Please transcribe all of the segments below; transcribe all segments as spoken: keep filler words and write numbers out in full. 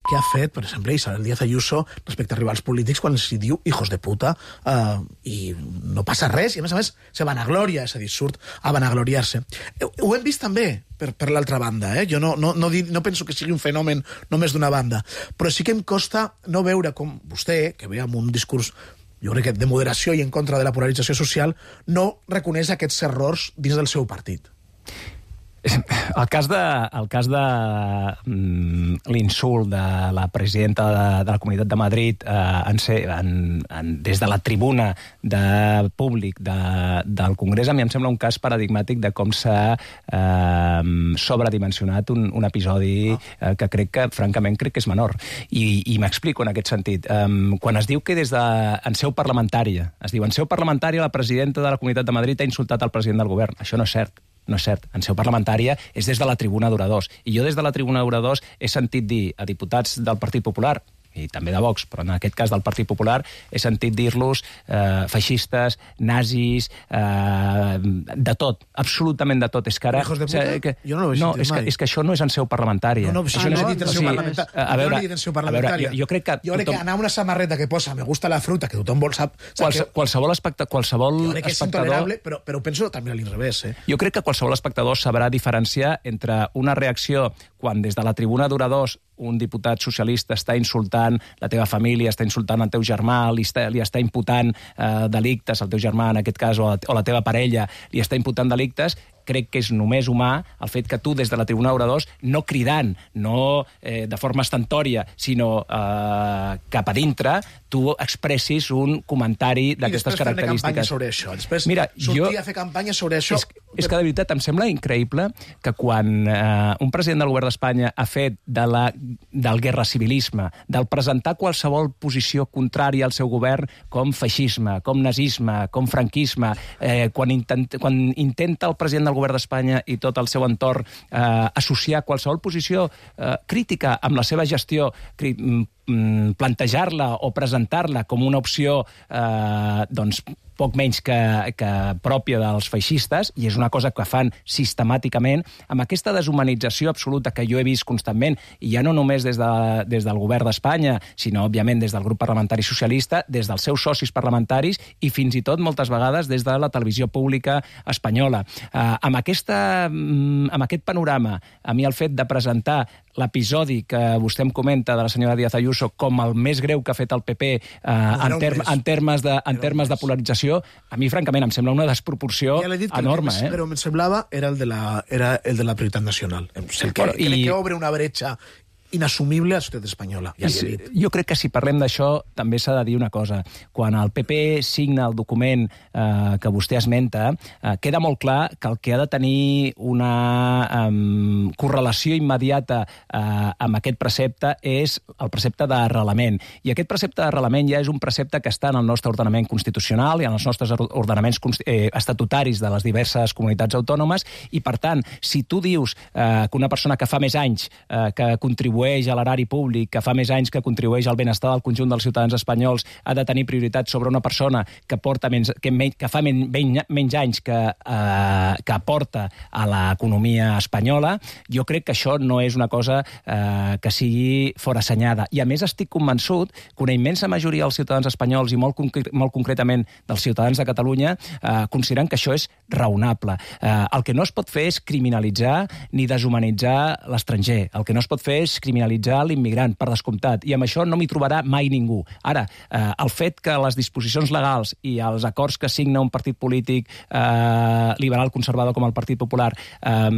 que ha fet, per exemple, Isabel Díaz Ayuso respecte a rivals polítics quan els diu hijos de puta eh, i no passa res, i a més a més se vanagloria, és a dir, surt a vanagloriar-se. Ho hem vist també per, per l'altra banda, eh? Jo no, no, no, no penso que sigui un fenomen només d'una banda, però sí que em costa no veure com vostè, que ve amb un discurs jo crec que de moderació i en contra de la polarització social, no reconeix aquests errors dins del seu partit. El cas de, el cas de mm, l'insult de la presidenta de, de la Comunitat de Madrid eh, en ser, en, en, des de la tribuna de públic de, del Congrés, a mi em sembla un cas paradigmàtic de com s'ha eh, sobredimensionat un, un episodi eh, que crec que, francament, crec que és menor. I, i m'explico en aquest sentit. Um, quan es diu que des de, en seu parlamentària, es diu en seu parlamentària la presidenta de la Comunitat de Madrid ha insultat el president del govern. Això no és cert. No és cert. En seu parlamentària és des de la tribuna d'oradors. I jo des de la tribuna d'oradors he sentit dir a diputats del Partit Popular, i també de Vox, però en aquest cas del Partit Popular, he sentit dir-los eh, feixistes, nazis, eh, de tot, absolutament de tot. És que ara... Hijos de puta? Que, jo no ho he no, sentit és mai. Que, és que això no és en seu parlamentària. No, no, això ah, no no, és dit en seu parlamentària. A veure, jo no he dit en seu parlamentària. A veure, jo crec que... Jo crec tothom... que anar a una samarreta que posa me gusta la fruta, que tothom vol sap... Quals, que... Qualsevol, especta, qualsevol jo crec que és espectador... intolerable, però, però ho penso també a l'inrevés. Eh? Jo crec que qualsevol espectador sabrà diferenciar entre una reacció quan des de la tribuna d'oradors un diputat socialista està insultant la teva família, està insultant el teu germà, li està, li està imputant eh, delictes al teu germà, en aquest cas, o la, o la teva parella, li està imputant delictes, crec que és només humà el fet que tu, des de la tribuna d'oradors, no cridant, no eh, de forma estantòria, sinó eh, cap a dintre, tu expressis un comentari d'aquestes característiques. I després fer campanya sobre això. Després Mira, sortir jo... a fer campanya sobre això... És, és que, de veritat, em sembla increïble que quan eh, un president del govern d'Espanya ha fet de la, del guerracivilisme, del presentar qualsevol posició contrària al seu govern com feixisme, com nazisme, com franquisme, eh, quan, intent, quan intenta el president del govern d'Espanya i tot el seu entorn eh, associar qualsevol posició eh, crítica amb la seva gestió, cri, mm, plantejar-la o presentar-la com una opció eh, doncs, poc menys que, que pròpia dels feixistes, i és una cosa que fan sistemàticament, amb aquesta deshumanització absoluta que jo he vist constantment, i ja no només des, de, des del govern d'Espanya, sinó, òbviament, des del grup parlamentari socialista, des dels seus socis parlamentaris i fins i tot, moltes vegades, des de la televisió pública espanyola. Eh, amb, aquesta, amb aquest panorama, a mi el fet de presentar l'episodi que vostè em comenta de la senyora Díaz Ayuso com el més greu que ha fet el P P eh, en, term, en termes, de, en termes de polarització, a mi, francament, em sembla una desproporció ja dit que enorme. El que, eh? Però em semblava era el de la, era el de la prioritat nacional. El que, bueno, i... que obre una bretxa inassumible a la societat espanyola. Ja si, jo crec que si parlem d'això també s'ha de dir una cosa. Quan el P P signa el document eh, que vostè esmenta, eh, queda molt clar que el que ha de tenir una um, correlació immediata eh, amb aquest precepte és el precepte d'arrelament. I aquest precepte d'arrelament ja és un precepte que està en el nostre ordenament constitucional i en els nostres ordenaments eh, estatutaris de les diverses comunitats autònomes, i, per tant, si tu dius eh, que una persona que fa més anys eh, que contribueix a l'erari públic, que fa més anys que contribueix al benestar del conjunt dels ciutadans espanyols, ha de tenir prioritat sobre una persona que, porta menys, que, menys, que fa men, menys, menys anys que, eh, que aporta a l'economia espanyola, jo crec que això no és una cosa eh, que sigui forassenyada. I, a més, estic convençut que una immensa majoria dels ciutadans espanyols i molt, concre molt concretament dels ciutadans de Catalunya eh, consideren que això és raonable. Eh, el que no es pot fer és criminalitzar ni deshumanitzar l'estranger. El que no es pot fer és criminalitzar l'immigrant, per descomptat, i amb això no m'hi trobarà mai ningú. Ara, eh, el fet que les disposicions legals i els acords que signa un partit polític eh, liberal conservador com el Partit Popular eh,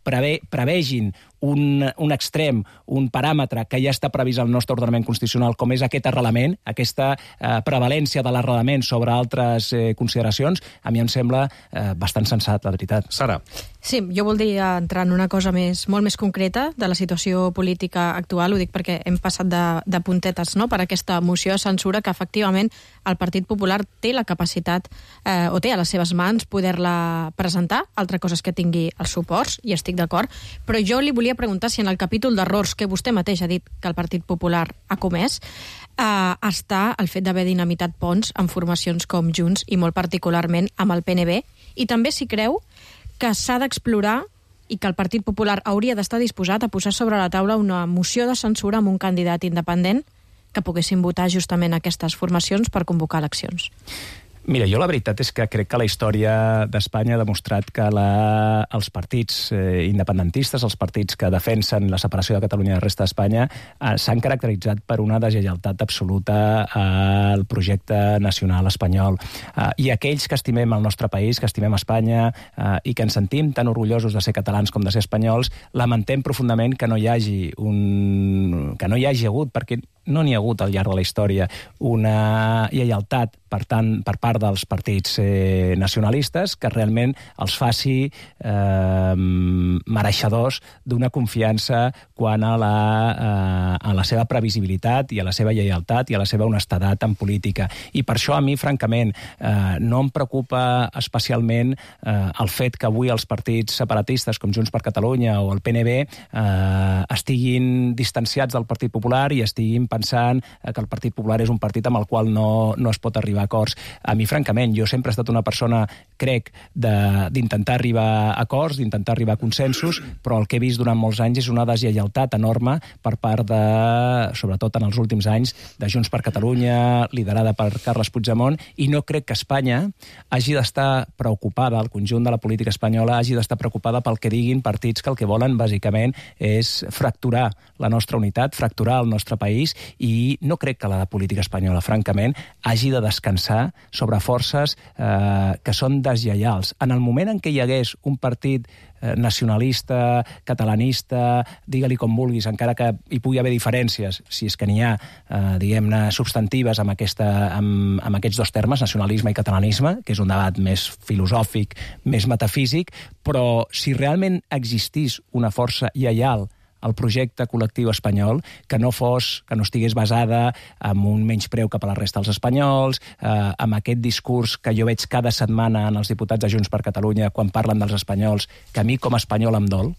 preve, prevegin un, un extrem, un paràmetre que ja està previst al nostre ordenament constitucional, com és aquest arrelament, aquesta eh, prevalència de l'arrelament sobre altres eh, consideracions, a mi em sembla eh, bastant sensat, la veritat. Sara. Sí, jo voldria entrar en una cosa més, molt més concreta de la situació política actual, ho dic perquè hem passat de, de puntetes, no?, per aquesta moció de censura que efectivament el Partit Popular té la capacitat eh, o té a les seves mans poder-la presentar, altra cosa és que tingui els suports, i estic d'acord, però jo li volia preguntar si en el capítol d'errors que vostè mateix ha dit que el Partit Popular ha comès eh, està el fet d'haver dinamitat ponts amb formacions com Junts i molt particularment amb el P N B, i també si creu que s'ha d'explorar i que el Partit Popular hauria d'estar disposat a posar sobre la taula una moció de censura amb un candidat independent que poguessin votar justament aquestes formacions per convocar eleccions. Mira, jo la veritat és que crec que la història d'Espanya ha demostrat que la, els partits eh, independentistes, els partits que defensen la separació de Catalunya de la resta d'Espanya, eh, s'han caracteritzat per una deslleialtat absoluta al projecte nacional espanyol. Eh, I aquells que estimem el nostre país, que estimem Espanya eh, i que ens sentim tan orgullosos de ser catalans com de ser espanyols, lamentem profundament que no hi hagi un... que no hi hagi hagut, perquè no n'hi ha hagut al llarg de la història una lleialtat per tant per part dels partits eh, nacionalistes que realment els faci eh, mereixedors d'una confiança quant a la, eh, a la seva previsibilitat i a la seva lleialtat i a la seva honestedat en política. I per això a mi, francament, eh, no em preocupa especialment eh, el fet que avui els partits separatistes com Junts per Catalunya o el P N B eh, estiguin distanciats del Partit Popular i estiguin pensant que el Partit Popular és un partit amb el qual no, no es pot arribar a acords. A mi, francament, jo sempre he estat una persona, crec, d'intentar arribar a acords, d'intentar arribar a consensos, però el que he vist durant molts anys és una deslleialtat enorme per part de, sobretot en els últims anys, de Junts per Catalunya, liderada per Carles Puigdemont, i no crec que Espanya hagi d'estar preocupada, el conjunt de la política espanyola hagi d'estar preocupada pel que diguin partits que el que volen, bàsicament, és fracturar la nostra unitat, fracturar el nostre país, i no crec que la política espanyola, francament, hagi de descansar sobre forces eh, que són deslleials. En el moment en què hi hagués un partit eh, nacionalista, catalanista, digue-li com vulguis, encara que hi pugui haver diferències, si és que n'hi ha, eh, diguem-ne, substantives amb, aquesta, amb, amb aquests dos termes, nacionalisme i catalanisme, que és un debat més filosòfic, més metafísic, però si realment existís una força lleial el projecte col·lectiu espanyol, que no fos, que no estigués basada en un menyspreu cap a la resta dels espanyols, eh, amb aquest discurs que jo veig cada setmana en els diputats de Junts per Catalunya quan parlen dels espanyols, que a mi com a espanyol em dol,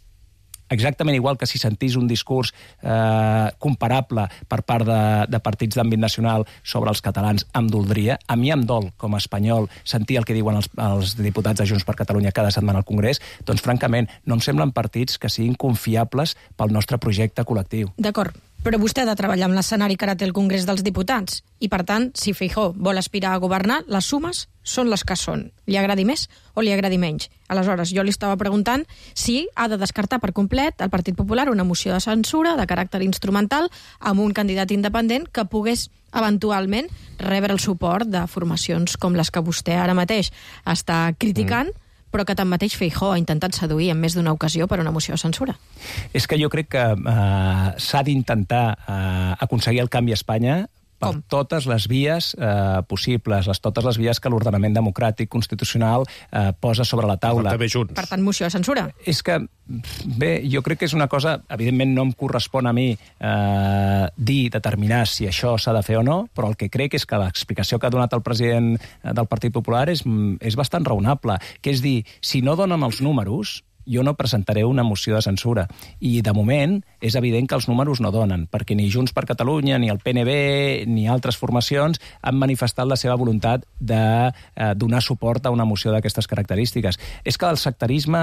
exactament igual que si sentís un discurs eh, comparable per part de, de partits d'àmbit nacional sobre els catalans, em doldria. A mi em dol, com a espanyol, sentir el que diuen els, els diputats de Junts per Catalunya cada setmana al Congrés, doncs, francament, no em semblen partits que siguin confiables pel nostre projecte col·lectiu. D'acord, però vostè ha de treballar amb l'escenari que ara té el Congrés dels Diputats. I, per tant, si Feijóo vol aspirar a governar, les sumes són les que són. Li agradi més o li agradi menys. Aleshores, jo li estava preguntant si ha de descartar per complet el Partit Popular una moció de censura de caràcter instrumental amb un candidat independent que pogués eventualment rebre el suport de formacions com les que vostè ara mateix està criticant, mm. però que tanmateix Feijóo ha intentat seduir en més d'una ocasió per una moció de censura. És que jo crec que eh, s'ha d'intentar eh, aconseguir el canvi a Espanya per Com? totes les vies eh, possibles, les, totes les vies que l'ordenament democràtic constitucional eh, posa sobre la taula. Per tant, moció de censura. És que, bé, jo crec que és una cosa, evidentment no em correspon a mi eh, dir, determinar si això s'ha de fer o no, però el que crec és que l'explicació que ha donat el president del Partit Popular és, és bastant raonable, que és dir, si no donen els números, jo no presentaré una moció de censura. I, de moment, és evident que els números no donen, perquè ni Junts per Catalunya, ni el P N B, ni altres formacions han manifestat la seva voluntat de eh, donar suport a una moció d'aquestes característiques. És que el sectarisme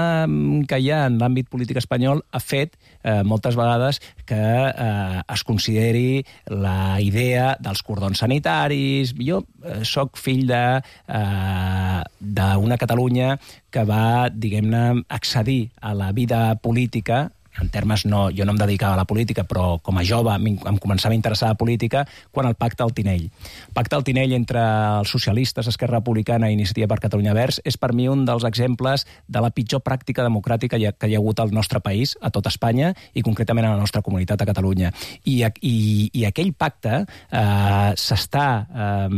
que hi ha en l'àmbit polític espanyol ha fet eh, moltes vegades que eh, es consideri la idea dels cordons sanitaris. Jo eh, soc fill de eh, d'una Catalunya que va, diguem-ne, accedir a la vida política, en termes no, jo no em dedicava a la política, però com a jove em, em començava a interessar la política quan el pacte al Tinell. El pacte al Tinell entre els socialistes, Esquerra Republicana i Iniciativa per Catalunya Verds és per mi un dels exemples de la pitjor pràctica democràtica que hi ha hagut al nostre país, a tot Espanya, i concretament a la nostra comunitat a Catalunya. I, i, i aquell pacte eh, s'està eh,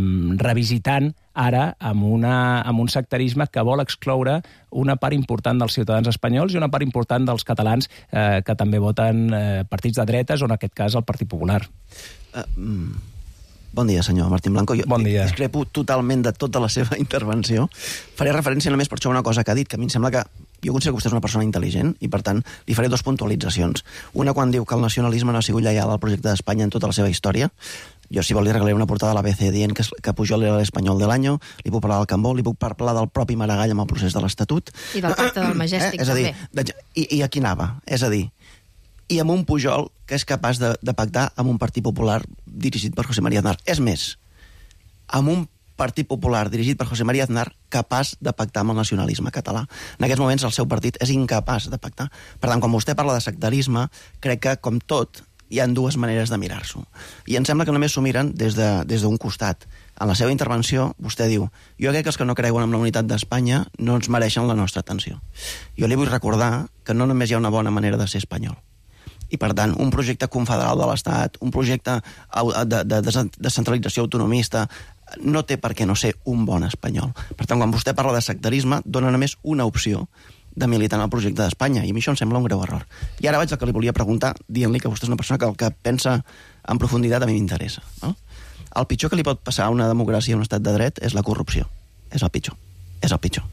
revisitant ara amb, una, amb un sectarisme que vol excloure una part important dels ciutadans espanyols i una part important dels catalans eh, que també voten eh, partits de dretes o en aquest cas el Partit Popular. Uh, mm. Bon dia, senyor Martín Blanco. Jo bon dia. discrepo totalment de tota la seva intervenció. Faré referència només per això a una cosa que ha dit, que a mi em sembla que jo considero que vostè és una persona intel·ligent i, per tant, li faré dues puntualitzacions. Una quan diu que el nacionalisme no ha sigut lleial al projecte d'Espanya en tota la seva història. Jo, si vol, li regalaré una portada a l'A B C dient que, que Pujol era l'espanyol de l'any, li puc parlar del Cambó, li puc parlar del propi Maragall amb el procés de l'Estatut. I del pacte del Majestic, eh? És a dir, també. De, i, I aquí anava. És a dir, i amb un Pujol que és capaç de, de pactar amb un Partit Popular dirigit per José María Aznar. És més, amb un Partit Popular dirigit per José María Aznar capaç de pactar amb el nacionalisme català. En aquests moments el seu partit és incapaç de pactar. Per tant, quan vostè parla de sectarisme, crec que, com tot, hi ha dues maneres de mirar-s'ho. I em sembla que només s'ho miren des d'un de, des costat. En la seva intervenció, vostè diu, jo crec que els que no creuen en la unitat d'Espanya no ens mereixen la nostra atenció. Jo li vull recordar que no només hi ha una bona manera de ser espanyol. I, per tant, un projecte confederal de l'Estat, un projecte de, de, de descentralització autonomista, no té per què no ser un bon espanyol. Per tant, quan vostè parla de sectarisme, dona només una opció de militar en el projecte d'Espanya, i a mi això em sembla un greu error. I ara vaig al que li volia preguntar, dient-li que vostè és una persona que el que pensa en profunditat a mi m'interessa. No? El pitjor que li pot passar a una democràcia i a un estat de dret és la corrupció. És el pitjor. És el pitjor.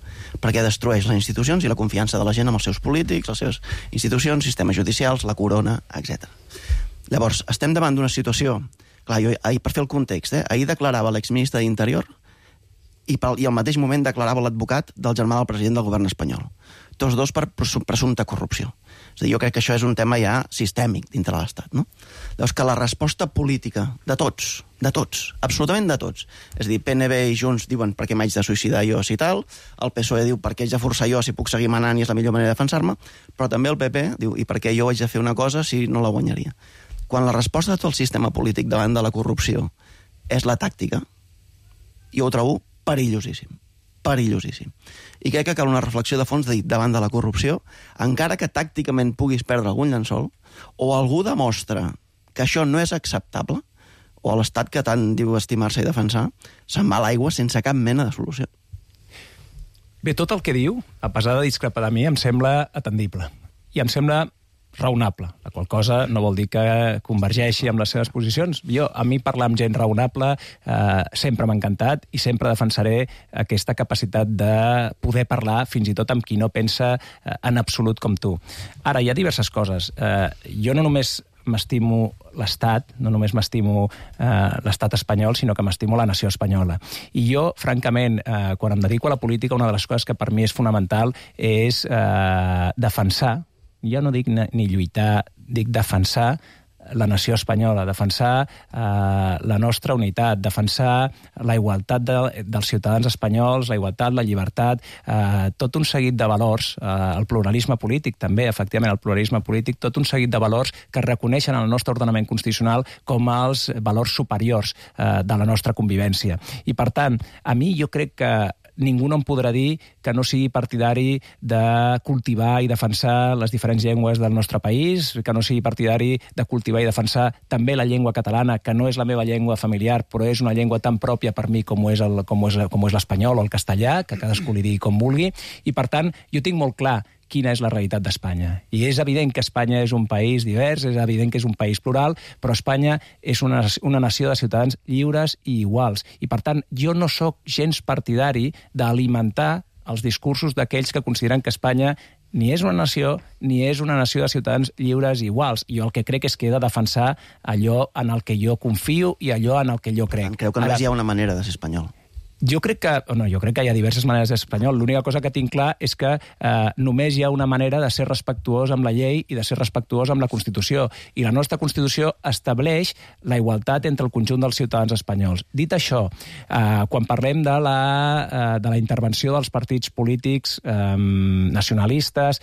Perquè destrueix les institucions i la confiança de la gent amb els seus polítics, les seves institucions, sistemes judicials, la corona, etcètera. Llavors, estem davant d'una situació. Clar, jo, ahir, per fer el context, eh, ahir declarava l'exministre d'Interior i, pel, i al mateix moment declarava l'advocat del germà del president del govern espanyol. Tots dos per presumpta corrupció. És a dir, jo crec que això és un tema ja sistèmic dintre de l'Estat, no? Llavors, que la resposta política de tots, de tots, absolutament de tots, és a dir, P N B i Junts diuen per què m'haig de suïcidar jo si tal, el P S O E diu per què haig de forçar jo si puc seguir manant i és la millor manera de defensar-me, però també el P P diu i per què jo haig de fer una cosa si no la guanyaria. Quan la resposta de tot el sistema polític davant de la corrupció és la tàctica, jo ho trobo perillosíssim. Perillosíssim. I crec que cal una reflexió de fons de dir, davant de la corrupció, encara que tàcticament puguis perdre algun llençol, o algú demostra que això no és acceptable, o l'Estat que tant diu estimar-se i defensar, se'n va a l'aigua sense cap mena de solució. Bé, tot el que diu, a pesar de discrepar de mi, em sembla atendible. I em sembla raonable, la qual cosa no vol dir que convergeixi amb les seves posicions. Jo, a mi parlar amb gent raonable eh, sempre m'ha encantat i sempre defensaré aquesta capacitat de poder parlar fins i tot amb qui no pensa eh, en absolut com tu. Ara, hi ha diverses coses. Eh, jo no només m'estimo l'Estat, no només m'estimo eh, l'Estat espanyol, sinó que m'estimo la nació espanyola. I jo, francament, eh, quan em dedico a la política, una de les coses que per mi és fonamental és eh, defensar, jo no dic ni lluitar, dic defensar la nació espanyola, defensar eh, la nostra unitat, defensar la igualtat de, dels ciutadans espanyols, la igualtat, la llibertat, eh, tot un seguit de valors, eh, el pluralisme polític també, efectivament, el pluralisme polític, tot un seguit de valors que reconeixen el nostre ordenament constitucional com els valors superiors eh, de la nostra convivència. I, per tant, a mi jo crec que ningú no em podrà dir que no sigui partidari de cultivar i defensar les diferents llengües del nostre país, que no sigui partidari de cultivar i defensar també la llengua catalana, que no és la meva llengua familiar, però és una llengua tan pròpia per mi com ho és el, com ho és, com ho és l'espanyol o el castellà, que cadascú li digui com vulgui, i per tant jo tinc molt clar quina és la realitat d'Espanya. I és evident que Espanya és un país divers, és evident que és un país plural, però Espanya és una, una nació de ciutadans lliures i iguals. I, per tant, jo no sóc gens partidari d'alimentar els discursos d'aquells que consideren que Espanya ni és una nació, ni és una nació de ciutadans lliures i iguals. Jo el que crec és que he de defensar allò en el que jo confio i allò en el que jo crec. Creu que només Ara... hi ha una manera de ser espanyol? Jo crec que, no, jo crec que hi ha diverses maneres de ser espanyol. L'única cosa que tinc clar és que eh, només hi ha una manera de ser respectuós amb la llei i de ser respectuós amb la Constitució. I la nostra Constitució estableix la igualtat entre el conjunt dels ciutadans espanyols. Dit això, eh, quan parlem de la, eh, de la intervenció dels partits polítics eh, nacionalistes,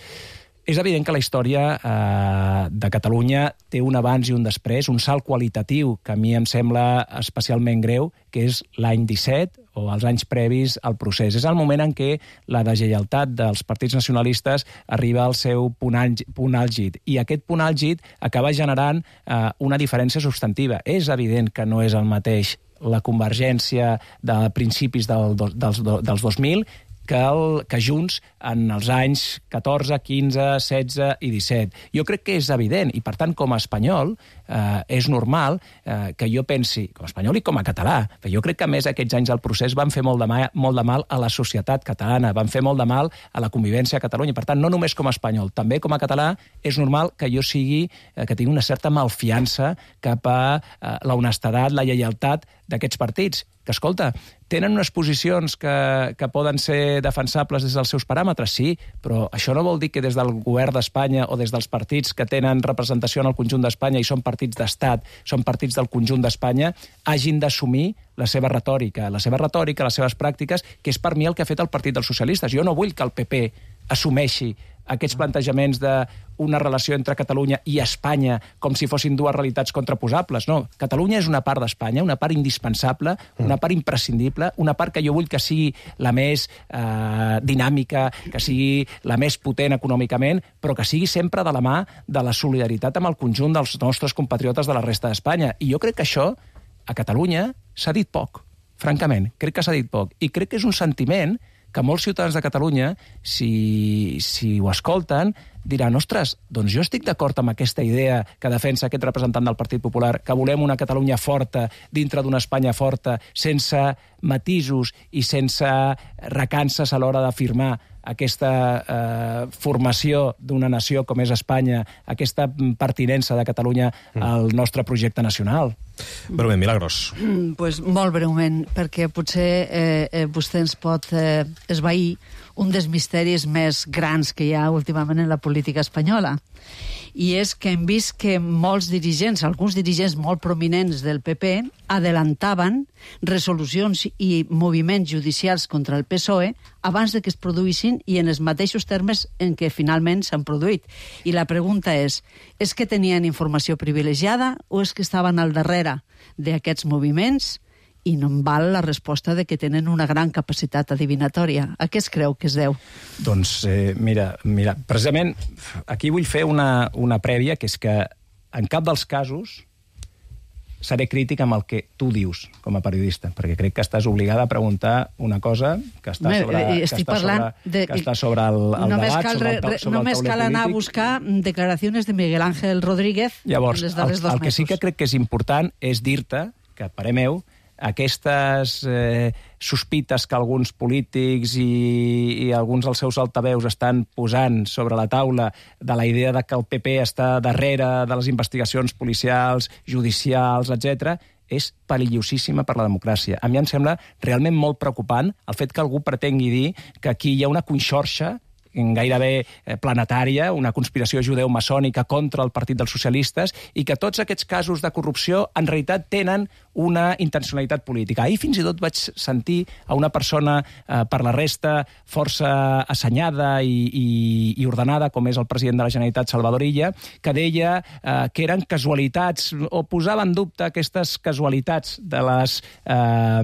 és evident que la història eh, de Catalunya té un abans i un després, un salt qualitatiu que a mi em sembla especialment greu, que és l'any disset o els anys previs al procés. És el moment en què la deslleialtat dels partits nacionalistes arriba al seu punt, punt àlgid. I aquest punt àlgid acaba generant eh, una diferència substantiva. És evident que no és el mateix la convergència de principis del, dels, dels dos mil que, el, que Junts en els anys catorze, quinze, setze i disset. Jo crec que és evident, i per tant, com a espanyol, eh, és normal eh, que jo pensi, com a espanyol i com a català, però jo crec que a més aquests anys del procés van fer molt de, mal, molt de mal a la societat catalana, van fer molt de mal a la convivència a Catalunya. Per tant, no només com a espanyol, també com a català, és normal que jo sigui, eh, que tingui una certa malfiança cap a eh, la honestedat, la lleialtat d'aquests partits, que, escolta, tenen unes posicions que, que poden ser defensables des dels seus paràmetres, sí, però això no vol dir que des del govern d'Espanya o des dels partits que tenen representació en el conjunt d'Espanya i són partits d'estat, són partits del conjunt d'Espanya, hagin d'assumir la seva retòrica, la seva retòrica, les seves pràctiques, que és per mi el que ha fet el Partit dels Socialistes. Jo no vull que el P P assumeixi aquests plantejaments d'una relació entre Catalunya i Espanya com si fossin dues realitats contraposables. No, Catalunya és una part d'Espanya, una part indispensable, una part imprescindible, una part que jo vull que sigui la més eh, dinàmica, que sigui la més potent econòmicament, però que sigui sempre de la mà de la solidaritat amb el conjunt dels nostres compatriotes de la resta d'Espanya. I jo crec que això, a Catalunya, s'ha dit poc, francament. Crec que s'ha dit poc. I crec que és un sentiment que molts ciutadans de Catalunya, si, si ho escolten, diran, ostres, doncs jo estic d'acord amb aquesta idea que defensa aquest representant del Partit Popular, que volem una Catalunya forta dintre d'una Espanya forta, sense matisos i sense recances a l'hora d'afirmar aquesta eh, formació d'una nació com és Espanya, aquesta pertinença de Catalunya al nostre projecte nacional. Breument, Milagros. Mm, pues molt breument, perquè potser eh, eh, vostè ens pot eh, esvair un dels misteris més grans que hi ha últimament en la política espanyola. I és que hem vist que molts dirigents, alguns dirigents molt prominents del P P, adelantaven resolucions i moviments judicials contra el P S O E abans de que es produïssin i en els mateixos termes en què finalment s'han produït. I la pregunta és, és que tenien informació privilegiada o és que estaven al darrere d'aquests moviments? I no em val la resposta de que tenen una gran capacitat adivinatòria. A què es creu que es deu? Doncs, eh, mira, mira, precisament aquí vull fer una, una prèvia, que és que en cap dels casos seré crític amb el que tu dius com a periodista, perquè crec que estàs obligada a preguntar una cosa que està Home, sobre, que estic està parlant sobre, de, que està sobre el, el només debat, cal, sobre el, sobre només el cal anar a buscar declaracions de Miguel Ángel Rodríguez. Llavors, en els darrers el, dos el que sí mesos. que crec que és important és dir-te que, a parer meu, aquestes eh, sospites que alguns polítics i, i alguns dels seus altaveus estan posant sobre la taula de la idea de que el P P està darrere de les investigacions policials, judicials, etcètera, és perillosíssima per la democràcia. A mi em sembla realment molt preocupant el fet que algú pretengui dir que aquí hi ha una conxorxa gairebé planetària, una conspiració judeu-maçònica contra el Partit dels Socialistes, i que tots aquests casos de corrupció en realitat tenen una intencionalitat política. Ahir fins i tot vaig sentir a una persona, eh, per la resta, força assenyada i, i, i ordenada, com és el president de la Generalitat, Salvador Illa, que deia eh, que eren casualitats, o posava en dubte aquestes casualitats de les, eh,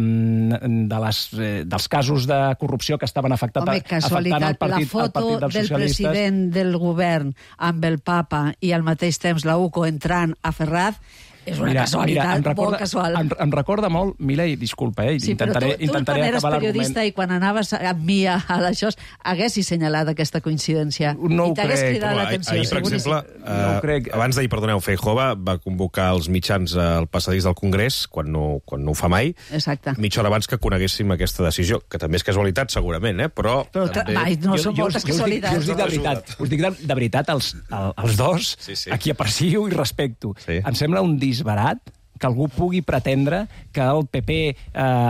de les, eh, dels casos de corrupció que estaven afectat, Home, afectant el Partit, la foto el Partit dels del Socialistes. president del govern amb el papa i al mateix temps la U C O entrant a Ferraz és una mira, casualitat mira, em recorda, molt casual. Em, em recorda molt, Milei, disculpa, eh, Sí, intentaré, però tu, tu intentaré quan eres acabar periodista l'argument. i quan anaves amb mi a, a això, haguessis senyalat aquesta coincidència. No ho I t'hagués crec. cridat Ahir, l'atenció. ahir, per seguríssim. exemple, No ho eh, crec. abans d'ahir, perdoneu, Feijóo va, va convocar els mitjans al passadís del Congrés, quan no, quan no ho fa mai, Exacte. mitja hora abans que coneguéssim aquesta decisió, que també és casualitat, segurament, eh? però... Però també... mai, no són Jo- jo- moltes jo us dic- Jo us dic de casualitats. veritat, us dic de, de veritat els, el, els dos, Sí, sí. a qui aprecio i respecto. Sí. Em sembla un disbarat que algú pugui pretendre que el P P eh,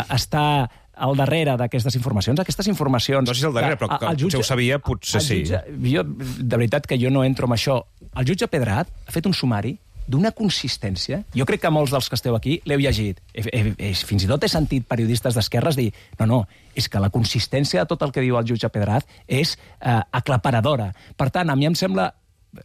està al darrere d'aquestes informacions. Aquestes informacions... No sé si al darrere, però que el potser ho sabia, potser el sí. Jutge, jo, de veritat que jo no entro en això. El jutge Pedrat ha fet un sumari d'una consistència. Jo crec que molts dels que esteu aquí l'heu llegit. He, he, he, fins i tot he sentit periodistes d'esquerres dir no, no, és que la consistència de tot el que diu el jutge Pedrat és eh, aclaparadora. Per tant, a mi em sembla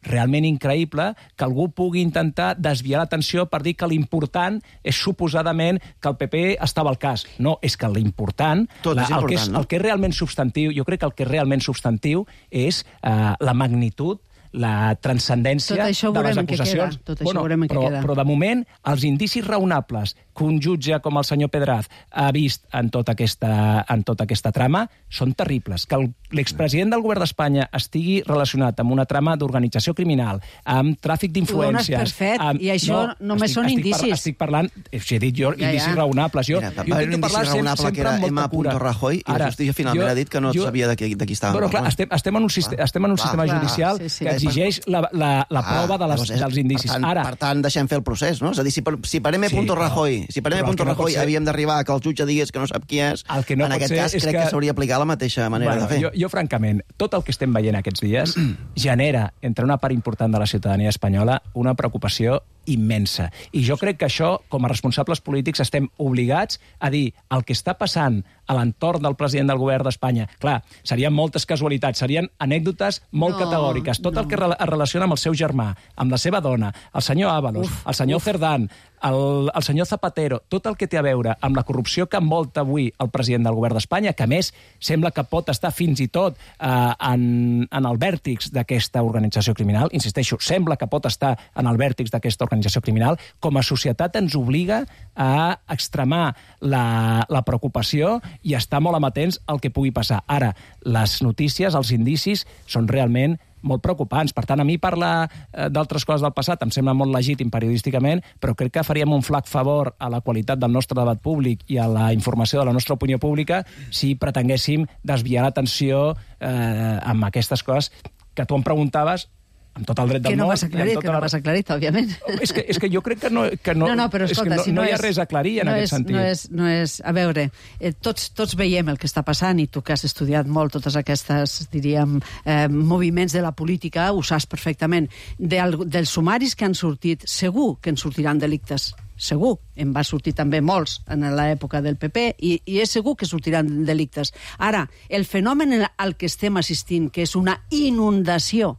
realment increïble que algú pugui intentar desviar l'atenció per dir que l'important és suposadament que el P P estava al cas. No, és que l'important, Tot la, és el, que és, important, no? el que és realment substantiu, jo crec que el que és realment substantiu és eh, la magnitud la transcendència Tot això de les veurem en què acusacions. queda. Tot això veurem en què però, queda. però de moment, els indicis raonables que un jutge com el senyor Pedraz ha vist en tota aquesta, en tota aquesta trama són terribles. Que el- l'expresident del govern d'Espanya estigui relacionat amb una trama d'organització criminal, amb tràfic d'influències... Ho dones per fet, amb... i això només són estic, indicis. Par, estic parlant, he dit jo, Ja, indicis ja. raonables. Jo, Mira, va jo haver un intento indici parlar sempre, raonable que sempre era amb molta M. cura. Rajoy i la justícia finalment ha dit que no sabia de qui, de qui estava Però clar, parlant. estem, estem en un, sistema, estem en un Clar, sistema clar, judicial sí, sí. que exigeix la, la, la Ah, prova de les, llavors és- dels indicis. Per tant, Ara, per tant, deixem fer el procés, no? És a dir, si per, si per M. Sí, però- Rajoy, si per però M. el que no pot Rajoy ser- havíem d'arribar a que el jutge digués que no sap qui és, El que no en pot aquest ser cas és crec que, que s'hauria d'aplicar la mateixa manera bueno, de fer. jo, jo, francament, tot el que estem veient aquests dies genera, entre una part important de la ciutadania espanyola, una preocupació immensa. I jo crec que això, com a responsables polítics, estem obligats a dir el que està passant a l'entorn del president del govern d'Espanya. Clar, serien moltes casualitats, serien anècdotes molt No, categòriques. Tot no. el que re- es relaciona amb el seu germà, amb la seva dona, el senyor Ábalos, uf, el senyor uf. Cerdán, el, el senyor Zapatero, tot el que té a veure amb la corrupció que envolta avui el president del govern d'Espanya, que a més sembla que pot estar fins i tot eh, en, en el vèrtex d'aquesta organització criminal. Insisteixo, sembla que pot estar en el vèrtex d'aquesta organització criminal. Com a societat ens obliga a extremar la, la preocupació i estar molt amatents al que pugui passar. Ara, les notícies, els indicis, són realment molt preocupants. Per tant, a mi parlar eh, d'altres coses del passat em sembla molt legítim periodísticament, però crec que faríem un flac favor a la qualitat del nostre debat públic i a la informació de la nostra opinió pública si pretenguéssim desviar l'atenció eh, amb aquestes coses que tu em preguntaves amb tot el dret del Que no món. m'has aclarit, tota que no la- m'has aclarit, òbviament. És que, és que jo crec que no... Que no, No, no, però és escolta, que no, si no no hi ha és, res a aclarir en no aquest és, sentit. No és, no és, a veure, eh, tots, tots veiem el que està passant i tu que has estudiat molt totes aquestes, diríem, eh, moviments de la política, ho saps perfectament. De, dels sumaris que han sortit, segur que en sortiran delictes. Segur, en va sortir també molts en l'època del P P i, i és segur que sortiran delictes. Ara, el fenomen al que estem assistint, que és una inundació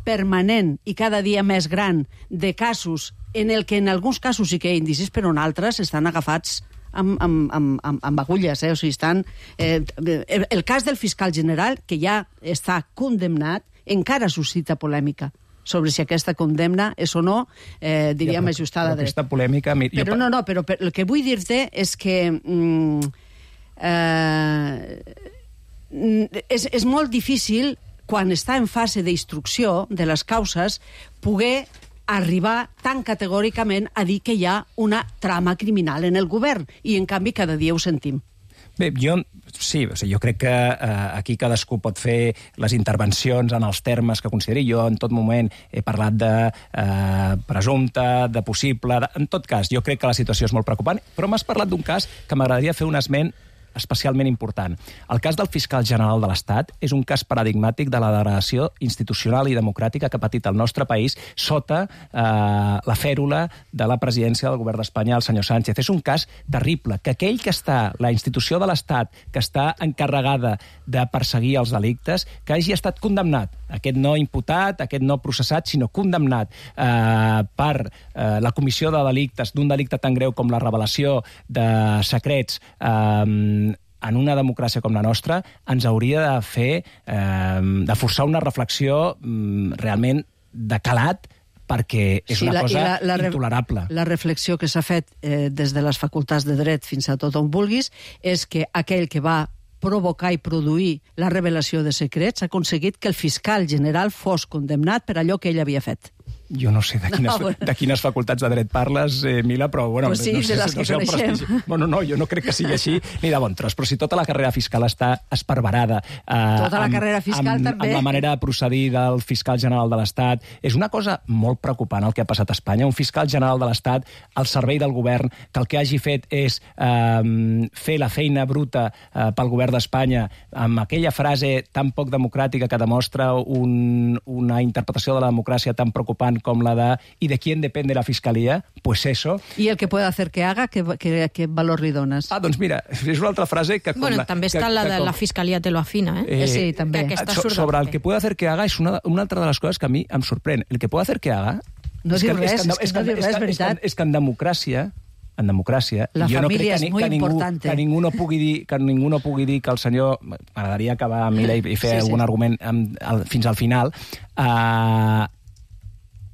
permanent i cada dia més gran de casos en el que en alguns casos sí que hi ha indicis, però en altres estan agafats amb, amb, amb, amb, amb agulles. Eh? O sigui, estan, eh, el, el cas del fiscal general, que ja està condemnat, encara suscita polèmica sobre si aquesta condemna és o no, eh, diríem, Ja, però- ajustada a però dret. aquesta polèmica... mi- jo Però pa- no, no, però per, el que vull dir-te és que mm, eh, és, és molt difícil, quan està en fase d'instrucció de les causes, poder arribar tan categòricament a dir que hi ha una trama criminal en el govern, i en canvi cada dia ho sentim. Bé, jo sí, o sigui, jo crec que eh, aquí cadascú pot fer les intervencions en els termes que consideri. Jo en tot moment he parlat de eh, presumpte, de possible... De... En tot cas, jo crec que la situació és molt preocupant, però m'has parlat d'un cas que m'agradaria fer un esment especialment important. El cas del fiscal general de l'Estat és un cas paradigmàtic de la degradació institucional i democràtica que ha patit el nostre país sota eh, la fèrula de la presidència del govern d'Espanya, el senyor Sánchez. És un cas terrible, que aquell que està, la institució de l'Estat, que està encarregada de perseguir els delictes, que hagi estat condemnat, aquest no imputat, aquest no processat, sinó condemnat eh, per eh, la comissió de delictes, d'un delicte tan greu com la revelació de secrets eh, en una democràcia com la nostra, ens hauria de fer, eh, de forçar una reflexió mm, realment de calat, perquè és Sí, una la- cosa i la- la re- intolerable. La reflexió que s'ha fet eh, des de les facultats de dret fins a tot on vulguis és que aquell que va provocar i produir la revelació de secrets ha aconseguit que el fiscal general fos condemnat per allò que ell havia fet. Jo no sé de quines, No, no, bueno. de quines facultats de dret parles, eh, Mila, però... Bueno, Pues sí, no de sé, les no que sé el coneixem. prestigi. Bueno, no, jo no crec que sigui així ni de bon tros, però si tota la carrera fiscal està esparverada... Eh, Tota la amb, carrera fiscal amb, també. Amb la manera de procedir del fiscal general de l'Estat. És una cosa molt preocupant el que ha passat a Espanya. Un fiscal general de l'Estat al servei del govern, que el que hagi fet és eh, fer la feina bruta eh, pel govern d'Espanya amb aquella frase tan poc democràtica que demostra un, una interpretació de la democràcia tan preocupant com la de ¿y de quién depende la fiscalía? Pues eso. I el que puede hacer que haga, què, què, què valor li dones? Ah, doncs mira, és una altra frase que... Com Bueno, la, també que, està la que de com- la fiscalia te lo afina, eh? Eh, sí, també. Que aquesta so- surt del sobre el P P. que puede hacer que haga és una, una altra de les coses que a mi em sorprèn. El que puede hacer que haga... No és diu que- res, és que, és que és no que- diu és res, que- veritat. És que, és que en democràcia en democràcia. La jo no família crec que, és molt que ningú, important. que ningú no pugui dir que ningú no pugui dir que el senyor... M'agradaria acabar amb ell i fer Sí, sí. algun argument amb, al, fins al final. Uh,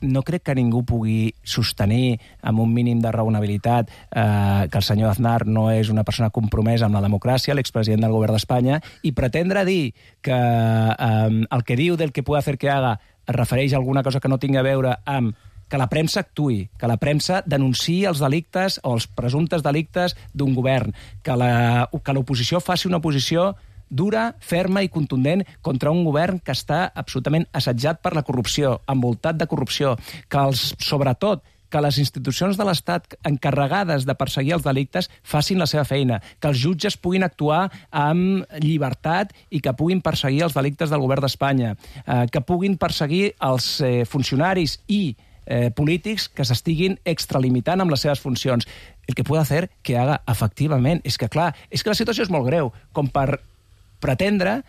no crec que ningú pugui sostenir amb un mínim de raonabilitat eh, que el senyor Aznar no és una persona compromesa amb la democràcia, l'expresident del govern d'Espanya, i pretendre dir que eh, el que diu del que puede hacer que haga es refereix a alguna cosa que no tingui a veure amb que la premsa actuï, que la premsa denunciï els delictes o els presumptes delictes d'un govern, que la, que l'oposició faci una oposició dura, ferma i contundent contra un govern que està absolutament assetjat per la corrupció, envoltat de corrupció, que els, sobretot que les institucions de l'Estat encarregades de perseguir els delictes facin la seva feina, que els jutges puguin actuar amb llibertat i que puguin perseguir els delictes del govern d'Espanya, eh, que puguin perseguir els eh, funcionaris i eh, polítics que s'estiguin extralimitant amb les seves funcions. El que puede hacer que haga efectivament. És que, clar, és que la situació és molt greu, com per pretendre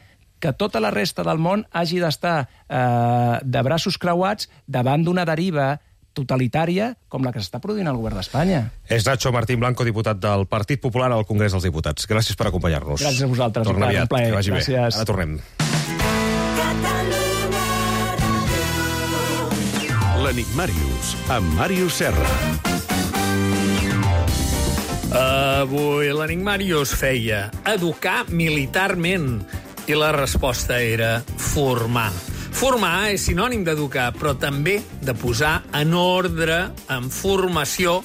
que tota la resta del món hagi d'estar eh, de braços creuats davant d'una deriva totalitària com la que s'està produint al govern d'Espanya. És Nacho Martín Blanco, diputat del Partit Popular al Congrés dels Diputats. Gràcies per acompanyar-nos. Gràcies a vosaltres. Torna aviat, un plaer. que vagi Gràcies. bé. Ara tornem. L'Enigmàrius, amb Màrius Serra. Avui l'Enigmàrius feia educar militarment i la resposta era formar. Formar és sinònim d'educar, però també de posar en ordre, en formació,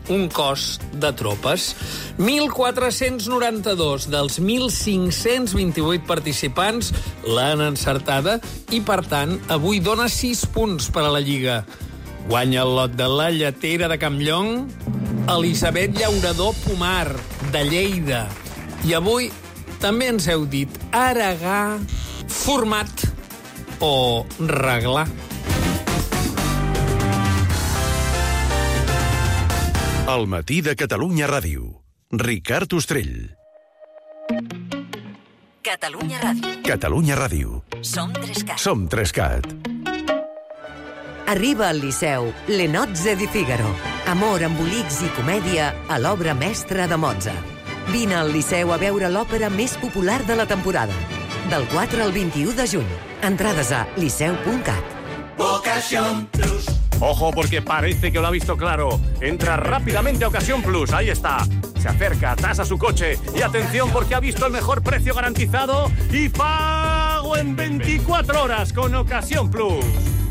un cos de tropes. mil quatre-cents noranta-dos dels mil cinc-cents vint-i-vuit participants l'han encertada i, per tant, avui dona sis punts per a la Lliga. Guanya el lot de la Lletera de Campllong, Elisabet Llaurador Pomar, de Lleida. I avui també ens heu dit aregar, format o reglar. El matí de Catalunya Ràdio. Ricard Ostrell. Catalunya Ràdio. Catalunya Ràdio. Som Trescat. Som Trescat. Arriba al Liceu L'Enozze di Figaro. Amor, embolics i comèdia a l'obra mestra de Mozart. Vine al Liceu a veure l'òpera més popular de la temporada. Del quatre al vint-i-u de juny. Entrades a liceu punt cat. Ocasión Plus. Ojo, porque parece que lo ha visto claro. Entra rápidamente a Ocasión Plus. Ahí está. Se acerca, tasa su coche. Y atención, porque ha visto el mejor precio garantizado y pago en veinticuatro horas con Ocasión Plus.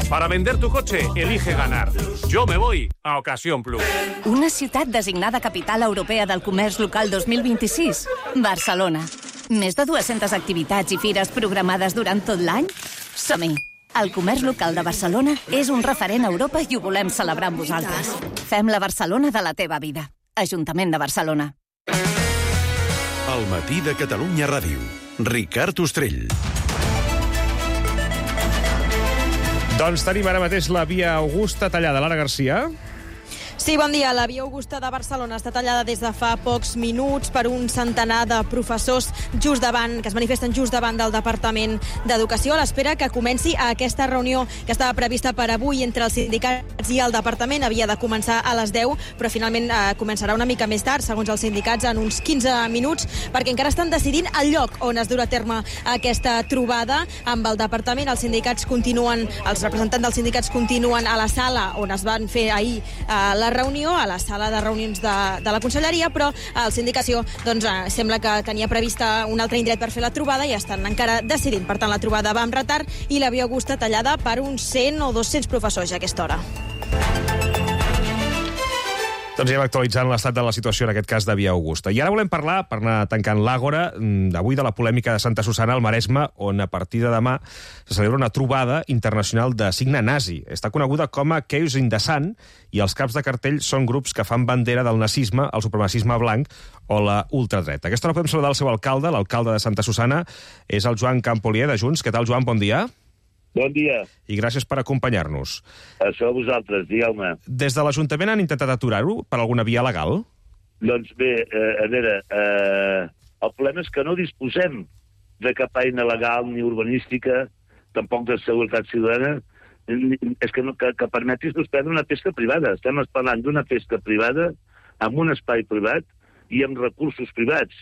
Para vender tu coche, elige ganar. Yo me voy a Ocasión Plus. Una ciutat designada Capital Europea del Comerç Local dos mil vint-i-sis. Barcelona. Més de dues-centes activitats i fires programades durant tot l'any? Som-hi! El comerç local de Barcelona és un referent a Europa i ho volem celebrar amb vosaltres. Fem la Barcelona de la teva vida. Ajuntament de Barcelona. El matí de Catalunya Ràdio. Ricard Ostrell. Doncs tenim ara mateix la via Augusta tallada. Lara Garcia. Sí, bon dia. La via Augusta de Barcelona està tallada des de fa pocs minuts per un centenar de professors just davant, que es manifesten just davant del Departament d'Educació a l'espera que comenci aquesta reunió que estava prevista per avui entre els sindicats i el Departament. Havia de començar a les deu, però finalment eh, començarà una mica més tard, segons els sindicats, en uns quinze minuts, perquè encara estan decidint el lloc on es durà a terme aquesta trobada amb el Departament. Els sindicats continuen, els representants dels sindicats continuen a la sala on es van fer ahir eh, la reunió, a la sala de reunions de, de la Conselleria, però el Sindicació doncs, eh, sembla que tenia prevista un altre indret per fer la trobada i estan encara decidint. Per tant, la trobada va amb retard i la via Augusta tallada per uns cent o dos-cents professors a aquesta hora. Doncs ja hem actualitzant l'estat de la situació, en aquest cas de via Augusta. I ara volem parlar, per anar tancant l'àgora, d'avui de la polèmica de Santa Susana al Maresme, on a partir de demà se celebra una trobada internacional de signe nazi. Està coneguda com a Chaos in the Sun, i els caps de cartell són grups que fan bandera del nazisme, el supremacisme blanc o la ultradreta. Aquesta hora podem saludar el seu alcalde, l'alcalde de Santa Susana, és el Joan Campolier, de Junts. Què tal, Joan? Bon dia. Bon dia. I gràcies per acompanyar-nos. Això a vosaltres, digueu-me. Des de l'Ajuntament han intentat aturar-ho per alguna via legal? Doncs bé, eh, a veure, eh, el problema és que no disposem de cap eina legal ni urbanística, tampoc de seguretat ciutadana, és que, no, que, que permeti suspendre una pesca privada. Estem parlant d'una pesca privada en un espai privat i amb recursos privats.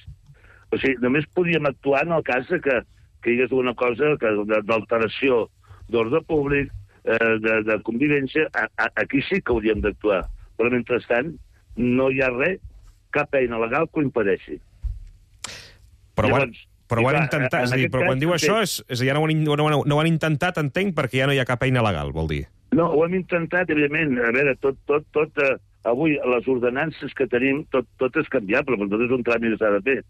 O sigui, només podíem actuar en el cas que, que hi hagués una cosa d'alteració d'ordre públic, eh, de, de convivència. A, a, aquí sí que hauríem d'actuar. Però, mentrestant, no hi ha res, cap eina legal que ho impedeixi. Però, Llavors, però ho han intentat, és a dir, però quan diu això, és, és ja no ho, han, no, ho, no ho han intentat, entenc, perquè ja no hi ha cap eina legal, vol dir. No, ho hem intentat, evidentment. A veure, tot, tot, tot, eh, avui, les ordenances que tenim, tot, tot és canviable, però tot és un tràmit que s'ha de fer.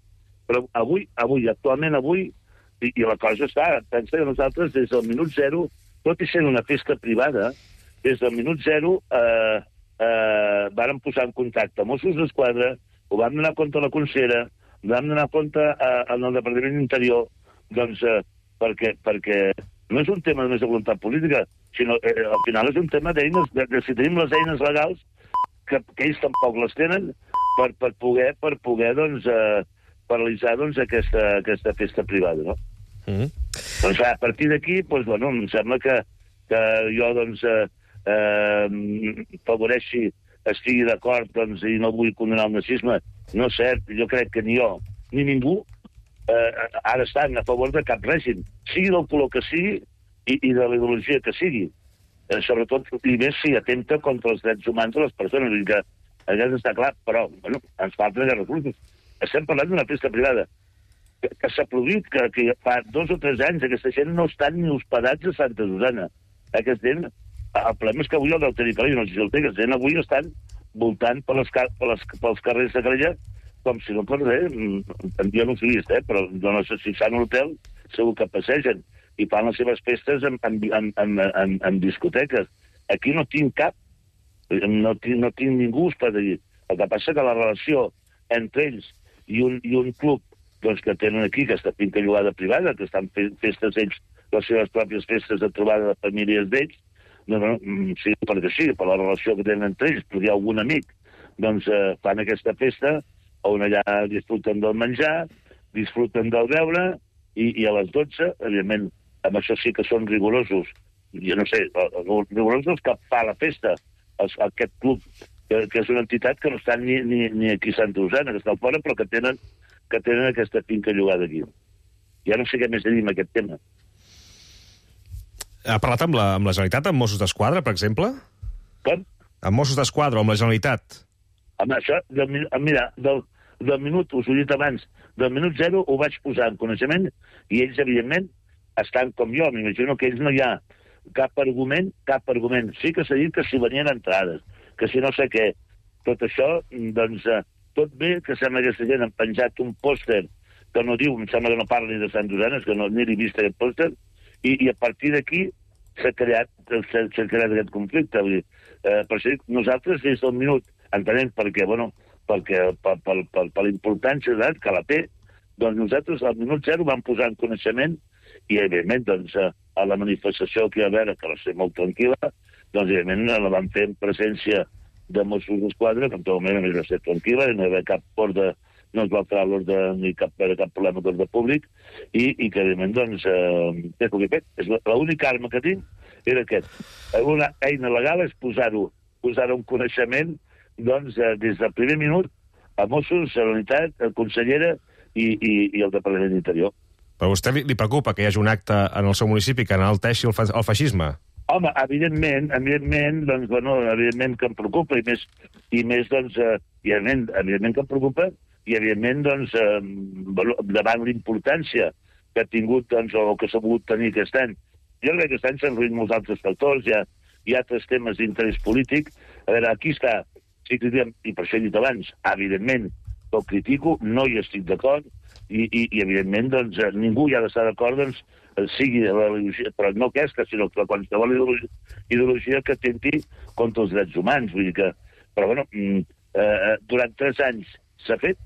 Però avui, avui, actualment avui, i, i la cosa està, pensa que nosaltres des del minut zero, tot i sent una festa privada, des del minut zero eh, eh, vàrem posar en contacte amb Mossos d'Esquadra, ho vam donar compte a la consellera, ho vam donar compte eh, en el Departament d'Interior, doncs, eh, perquè, perquè no és un tema només de voluntat política, sinó eh, al final és un tema d'eines, de, de si tenim les eines legals, que, que ells tampoc les tenen, per, per poder, per poder doncs, eh, paralitzar doncs, aquesta, aquesta festa privada, no? Mm-hmm. Doncs a partir d'aquí, doncs, bueno, em sembla que, que jo doncs, eh, eh, favoreixi, estigui d'acord doncs, i no vull condenar el nazisme. No és cert, jo crec que ni jo ni ningú eh, ara estan a favor de cap règim, sigui del color que sigui i, i de la ideologia que sigui. Eh, sobretot, i més si atempta contra els drets humans de les persones. I que aquest està clar, però bueno, ens falten els recursos. Estem parlant d'una festa privada que, que s'ha produït, que, que fa dos o tres anys aquesta gent no estan ni hospedats a Santa Susana. Aquesta gent, el problema és que avui el del territori, no sé si el té, aquesta gent avui estan voltant per les, per les, pels carrers de Calella com si no per res. Jo no ho he vist, eh, però no sé si estan a l'hotel, segur que passegen i fan les seves festes en, en, en, en, en, en discoteques. Aquí no tinc cap, no tinc, no tinc ningú hosped allí. El que passa que la relació entre ells i un, i un club doncs, que tenen aquí, aquesta finca llogada privada, que estan fent festes ells, les seves pròpies festes de trobada de famílies d'ells, no, no, sí, perquè sí, per la relació que tenen entre ells, perquè hi ha algun amic, doncs eh, fan aquesta festa on allà disfruten del menjar, disfruten del beure, i, i a les dotze, evidentment, amb això sí que són rigorosos, jo no sé, rigorosos que fa la festa, el, aquest club, que, que és una entitat que no està ni, ni, ni aquí a Santa Susana, que està fora, però que tenen, que tenen aquesta finca llogada aquí. Ja no sé què més dir amb aquest tema. Ha parlat amb la, amb la Generalitat, amb Mossos d'Esquadra, per exemple? Com? Amb Mossos d'Esquadra o amb la Generalitat? Amb això, del, mira, del, del minut, us ho he dit abans, del minut zero ho vaig posar en coneixement i ells, evidentment, estan com jo. M'imagino que ells no hi ha cap argument, cap argument. Sí que s'ha dit que si venien entrades, que si no sé què. Tot això, doncs, tot bé que sembla que aquesta gent han penjat un pòster que no diu, em sembla que no parli de Sant Susana, que no, ni l'he vist aquest pòster, i, i a partir d'aquí s'ha creat, s'ha creat aquest conflicte. Vull dir, eh, per això nosaltres des del minut, entenem perquè, bueno, perquè per, per, per, per la importància que la té, doncs nosaltres al minut zero vam posar en coneixement i, evidentment, doncs, a la manifestació que hi va haver, que va ser molt tranquil·la, doncs, evidentment, la vam fer en presència de Mossos d'Esquadra, que en tot moment a més va ser tranquil·la, i no hi va cap ordre, no es va alterar l'ordre ni cap, cap problema d'ordre públic, i, i que, evidentment, doncs, eh, què puc fer? L'única arma que tinc era aquest. Una eina legal és posar-ho, posar-ho en coneixement, doncs, eh, des del primer minut, a Mossos, Generalitat, consellera i, i, i el Departament d'Interior. Però a vostè li, li preocupa que hi hagi un acte en el seu municipi que enalteixi el, fa, el feixisme? Home, evidentment, evidentment, doncs, bueno, evidentment que em preocupa, i més, i més doncs, eh, i evidentment, evidentment que em preocupa, i evidentment, doncs, eh, davant l'importància que ha tingut, doncs, o que s'ha pogut tenir aquest any. Jo crec que aquest any s'han reunit molts altres factors, hi ha, hi ha altres temes d'interès polític. A veure, aquí està, sí que diem, i per això he dit abans, evidentment, que ho critico, no hi estic d'acord, i, i, i evidentment, doncs, ningú hi ha d'estar d'acord, doncs, sigui la ideologia, però no aquesta, sinó que qualsevol ideologia, ideologia que atenti contra els drets humans. Vull dir que, però bueno, eh, durant tres anys s'ha fet,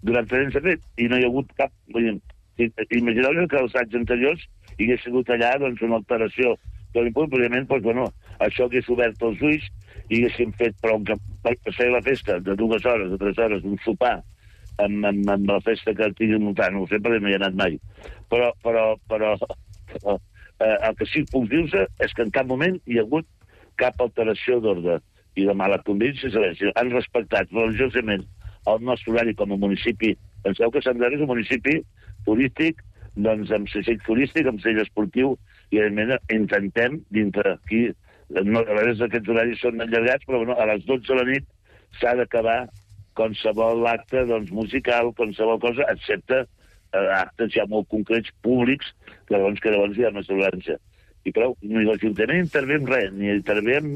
durant tres anys s'ha fet, i no hi ha hagut cap... Vull dir, imagineu que els anys anteriors hi hagués sigut allà, doncs, una alteració de l'impunt, evidentment, doncs, bueno, això hagués obert els ulls i haguéssim fet, però per fer la festa de dues hores, de tres hores, un sopar, amb, amb, amb la festa que tinguin muntant, no ho sé, perquè no hi ha anat mai. Però, però, però, però eh, el que sí que puc dir-vos és que en cap moment hi ha hagut cap alteració d'ordre. i de mala convivència, si han respectat religiosament el nostre horari com a municipi. Penseu que Sant Andreu és un municipi turístic, doncs amb segell turístic, amb segell esportiu, i evidentment intentem, dintre aquí, no, a vegades aquests horaris són allargats, però bueno, a les dotze de la nit s'ha d'acabar qualsevol acte doncs, musical, qualsevol cosa, excepte eh, actes ja molt concrets, públics, que llavors, que llavors hi ha més tolerància. I prou, ni l'Ajuntament intervé en res, ni intervé en,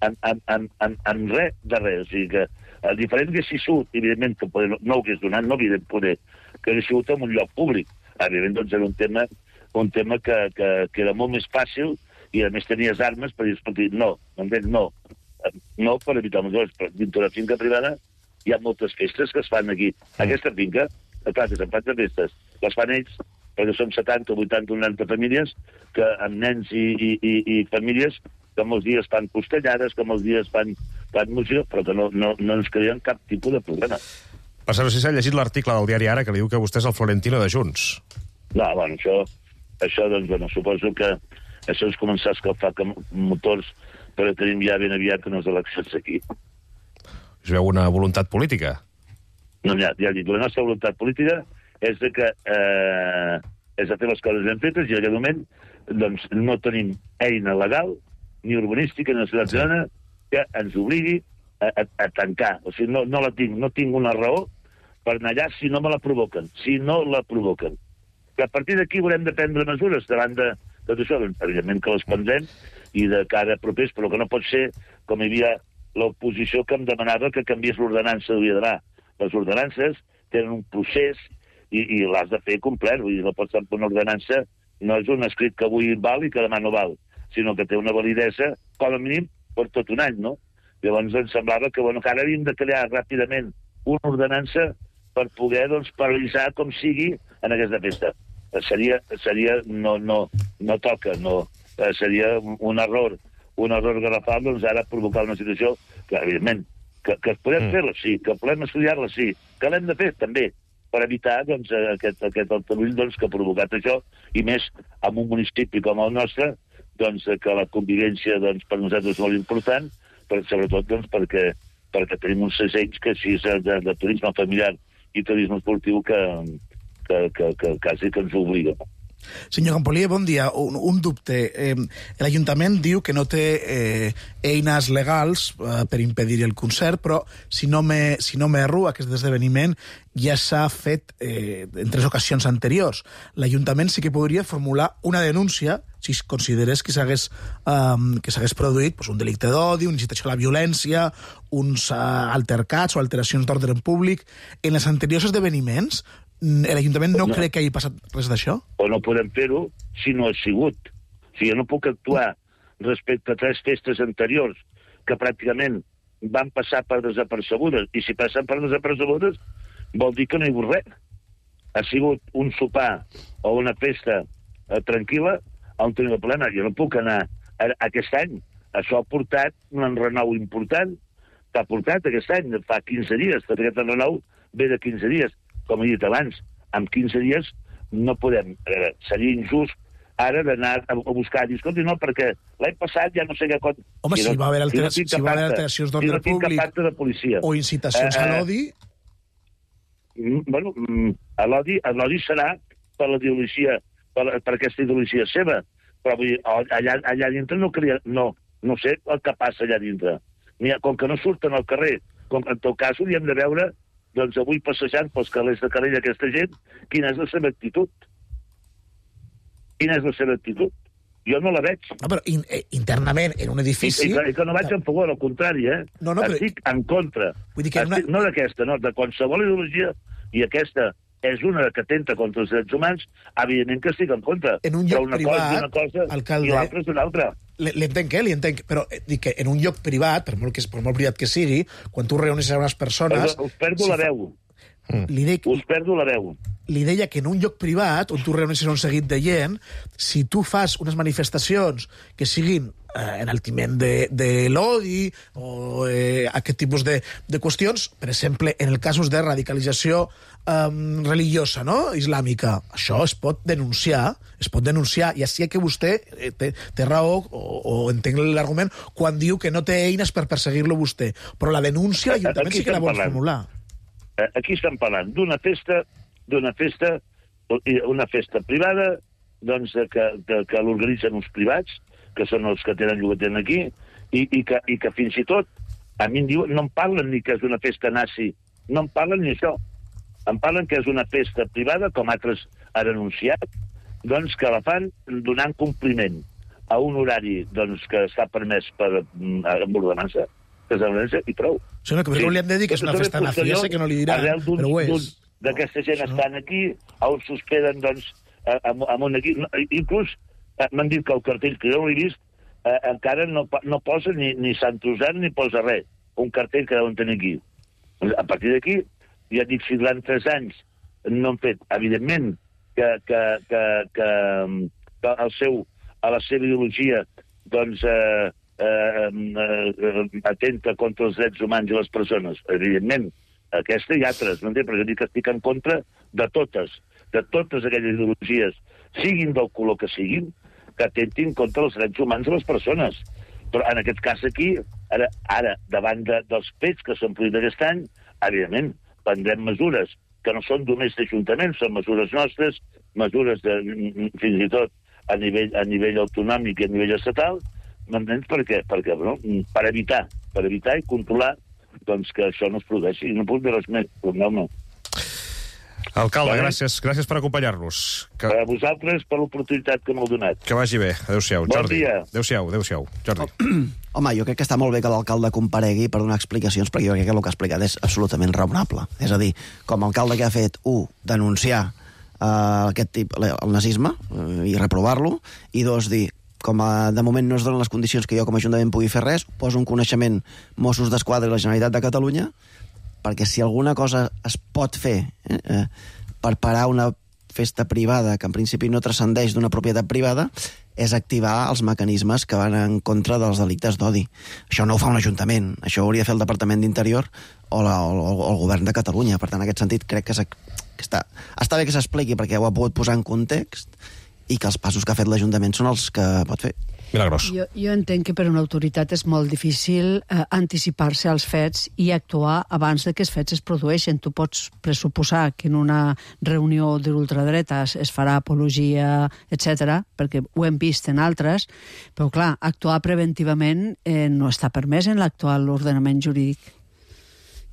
en, en, en, en, en res de res. O sigui que, el diferent que si surt, evidentment, que poder, no ho hagués donat, no havia de poder, que hagués sigut en un lloc públic. Evidentment, doncs, era un tema, un tema que, que, que era molt més fàcil i, a més, tenies armes per dir, escolti, no, m'entens, no. No per evitar els dos, però dintre de la finca privada hi ha moltes festes que es fan aquí. Aquesta finca, clar, que se'n fan de festes, les fan ells, perquè són setanta, vuitanta, noranta famílies, que amb nens i, i, i, i famílies que molts dies fan costellades, que molts dies fan, fan música, però que no, no, no ens creen cap tipus de problema. Per cert, no sé si s'ha llegit l'article del diari Ara que li diu que vostè és el Florentino de Junts. No, bueno, això, això doncs, bueno, suposo que això és començar a escalfar motors, però tenim ja ben aviat unes eleccions aquí. Us veu una voluntat política? No, ja, ja dic, la nostra voluntat política és de que eh, és de fer les coses ben fetes, i en aquest moment doncs, no tenim eina legal ni urbanística ni nacional ciutadana que ens obligui a, a, a tancar. O sigui, no, no la tinc, no tinc una raó per anar allà si no me la provoquen, si no la provoquen. Que a partir d'aquí haurem de prendre mesures davant de tot això, doncs, evidentment que les prendrem i de cara a propers, però que no pot ser com hi havia l'oposició que em demanava que canviés l'ordenança de demà. Les ordenances tenen un procés i, i l'has de fer complet, vull dir, no pots fer una ordenança, no és un escrit que avui val i que demà no val, sinó que té una validesa, com a mínim, per tot un any, no? Llavors ens semblava que, bueno, que ara havíem de crear ràpidament una ordenança per poder, doncs, paralitzar com sigui en aquesta festa. Seria, seria no, no, no toca, no, seria un error, un error garrafal, doncs ara provocar una situació que, evidentment, que, que podem mm. fer-la, sí, que podem estudiar-la, sí, que l'hem de fer, també, per evitar, doncs, aquest, aquest altarull, doncs, que ha provocat això, i més en un municipi com el nostre, doncs, que la convivència, doncs, per nosaltres és molt important, però sobretot, doncs, perquè, perquè tenim uns segells que si és de, de turisme familiar i turisme esportiu que, que, que, que quasi que ens obliga. Senyor Campolier, bon dia. Un, un dubte. Eh, L'Ajuntament diu que no té eh, eines legals eh, per impedir el concert, però si no me, si no m'erro, aquest esdeveniment ja s'ha fet eh, en tres ocasions anteriors. L'Ajuntament sí que podria formular una denúncia si considerés que s'hagués eh, que s'hagués produït pues, un delicte d'odi, una incitació a la violència, uns eh, altercats o alteracions d'ordre públic. En els anteriors esdeveniments, l'Ajuntament no, no creu que hagi passat res d'això? O no podem fer-ho si no ha sigut. O sigui, no puc actuar respecte a tres festes anteriors que pràcticament van passar per desapercebudes, i si passen per desapercebudes vol dir que no hi ha hagut res. Ha sigut un sopar o una festa eh, tranquil·la on tenim el problema. Jo no puc anar a, aquest any. Això ha portat un enrenou important, que ha portat aquest any, fa quinze dies, perquè aquest enrenou ve de quinze dies. Com he dit abans, en quinze dies no podem... Eh, seria injust ara d'anar a, a buscar... Dir, escolti, no, perquè l'any passat ja no sé què... Home, si, no, va haver altera... si, si va haver alteracions d'ordre si no públic de policia, o incitacions eh, a l'odi... Mm, bueno, mm, a l'odi l'odi serà per la ideologia, per, per aquesta ideologia seva, però vull dir, allà, allà dintre no crea... No, no sé el que passa allà dintre. Ha, com que no surten al carrer, com en tot cas hauríem de veure... doncs avui passejant pels carrers de Calella aquesta gent, quina és la seva actitud? Quina és la seva actitud? Jo no la veig. No, però in, eh, internament, en un edifici... I, i, i que no vaig en favor, al contrari, eh? No, no, Estic però... en contra. Vull dir que Estic, una... No d'aquesta, no, de qualsevol ideologia, i aquesta és una que atenta contra els drets humans, evidentment que estic en contra. En un lloc però una privat, cosa és una cosa alcalde, i l'altra és una altra. L'entenc, eh? L'entenc, però eh, dic que en un lloc privat, per molt, que, per molt privat que sigui, quan tu reuneixes a unes persones... Us perdo si la veu. Li dic... Us perdo la veu. li deia que en un lloc privat, on tu reuneixes un seguit de gent, si tu fas unes manifestacions que siguin eh, enaltiment de, de l'odi o eh, aquest tipus de, de qüestions, per exemple, en el casos de radicalització eh, religiosa, no?, islàmica, això es pot denunciar, es pot denunciar, i així que vostè eh, té, té raó, o, o entenc l'argument, quan diu que no té eines per perseguir-lo vostè. Però la denúncia l'Ajuntament sí que la vol formular. Aquí estem parlant d'una festa d'una festa, una festa privada, doncs, que, que, que l'organitzen uns privats, que són els que tenen llogatent aquí, i, i, que, i que fins i tot, a mi em diuen, no em parlen ni que és una festa nazi, no em parlen ni això. Em parlen que és una festa privada, com altres han anunciat, doncs que la fan donant compliment a un horari doncs, que està permès per amb ordenança, que és l'ordenança, i prou. Sí, no, que sí. Li han de dir que és una festa nazi, ja sé que no li diran, però ho és. D'aquesta gent no. Estan aquí, on s'hospeden, doncs, amb, amb un aquí. Inclús m'han dit que el cartell, que jo l'he vist, eh, encara no, no posa ni, ni Sant Usant ni posa res. Un cartell que deuen tenir aquí. A partir d'aquí, ja dic, si durant tres anys no han fet, evidentment, que, que, que, que, que el seu, a la seva ideologia, doncs, eh, eh, eh, atenta contra els drets humans i les persones. Evidentment, aquesta i altres, no entenc, perquè jo dic que estic en contra de totes, de totes aquelles ideologies, siguin del color que siguin, que atentin contra els drets humans de les persones. Però en aquest cas aquí, ara, ara davant de, dels fets que s'han produït aquest any, evidentment, prendrem mesures que no són només d'Ajuntament, són mesures nostres, mesures de, fins i tot a nivell, a nivell autonòmic i a nivell estatal, m'entens per què? Perquè, no? Per evitar, per evitar i controlar doncs que això no es produeixi. No puc dir res més, perdoneu-me. Alcalde, vale? gràcies, gràcies per acompanyar-nos. Que... A vosaltres per l'oportunitat que m'heu donat. Que vagi bé. Adéu-siau, bon Jordi. Dia. Adéu-siau, adéu-siau, Jordi. Home, jo crec que està molt bé que l'alcalde comparegui per donar explicacions, perquè jo crec que el que ha explicat és absolutament raonable. És a dir, com a alcalde que ha fet, un, denunciar uh, aquest tip, el nazisme, uh, i reprovar-lo, i dos, dir, com a, de moment no es donen les condicions que jo com a Ajuntament pugui fer res, poso un coneixement Mossos d'Esquadra i la Generalitat de Catalunya, perquè si alguna cosa es pot fer eh, eh, per parar una festa privada que en principi no transcendeix d'una propietat privada, és activar els mecanismes que van en contra dels delictes d'odi. Això no ho fa un Ajuntament, això ho hauria de fer el Departament d'Interior o, la, o, o el Govern de Catalunya. Per tant, en aquest sentit, crec que, que està, està bé que s'expliqui perquè ho ha pogut posar en context i que els passos que ha fet l'Ajuntament són els que pot fer. Milagrós. Jo, jo entenc que per una autoritat és molt difícil eh, anticipar-se als fets i actuar abans de que els fets es produeixen. Tu pots pressuposar que en una reunió de l'ultradreta es farà apologia, etcètera, perquè ho hem vist en altres, però clar, actuar preventivament eh, no està permès en l'actual ordenament jurídic.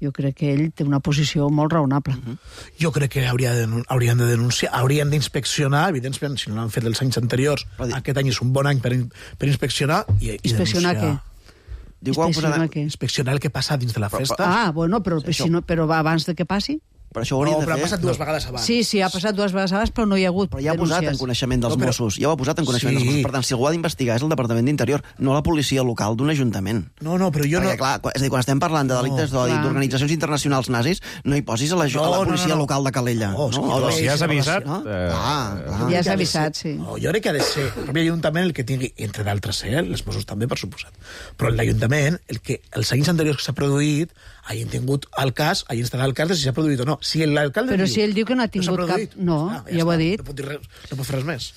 Jo crec que ell té una posició molt raonable. Uh-huh. Jo crec que hauria de, haurien de denunciar, haurien d'inspeccionar, evidentment, si no l'han fet els anys anteriors, aquest any és un bon any per, per inspeccionar i, i inspeccionar denunciar. Què? Inspeccionar què? Inspeccionar el que passa dins de la festa. Ah, bueno, però, si no, però va abans de que passi? Però això ho hauria no, de però fer. ha passat dues vegades abans. Sí, sí, ha passat dues vegades abans, però no hi ha hagut Però ja ha denúncies. posat en coneixement dels no, però... Mossos, ja ho ha posat en coneixement sí. dels Mossos. Per tant, si algú ha d'investigar és el Departament d'Interior, no la policia local d'un ajuntament. No, no, però jo Perquè, no... clar, és a dir, quan estem parlant de delictes no, d'odi, d'organitzacions internacionals nazis, no hi posis a la, no, a la policia no, no, no. local de Calella. No, no? no, no si ja has avisat... No? Eh... Ah, ja has avisat, sí. No, jo crec que ha de ser el propi Ajuntament el que tingui, entre d'altres, eh, els Mossos també, per suposat, però l'Ajuntament, el que els anys anteriors que s'ha produït, hagin tingut el cas, hagin instal·lat el cas de si s'ha produït o no. Si l'alcalde Però diu, si ell diu que no ha tingut no cap... No, ah, ja, ja ho ha dit. No pot dir res, no pot fer res més.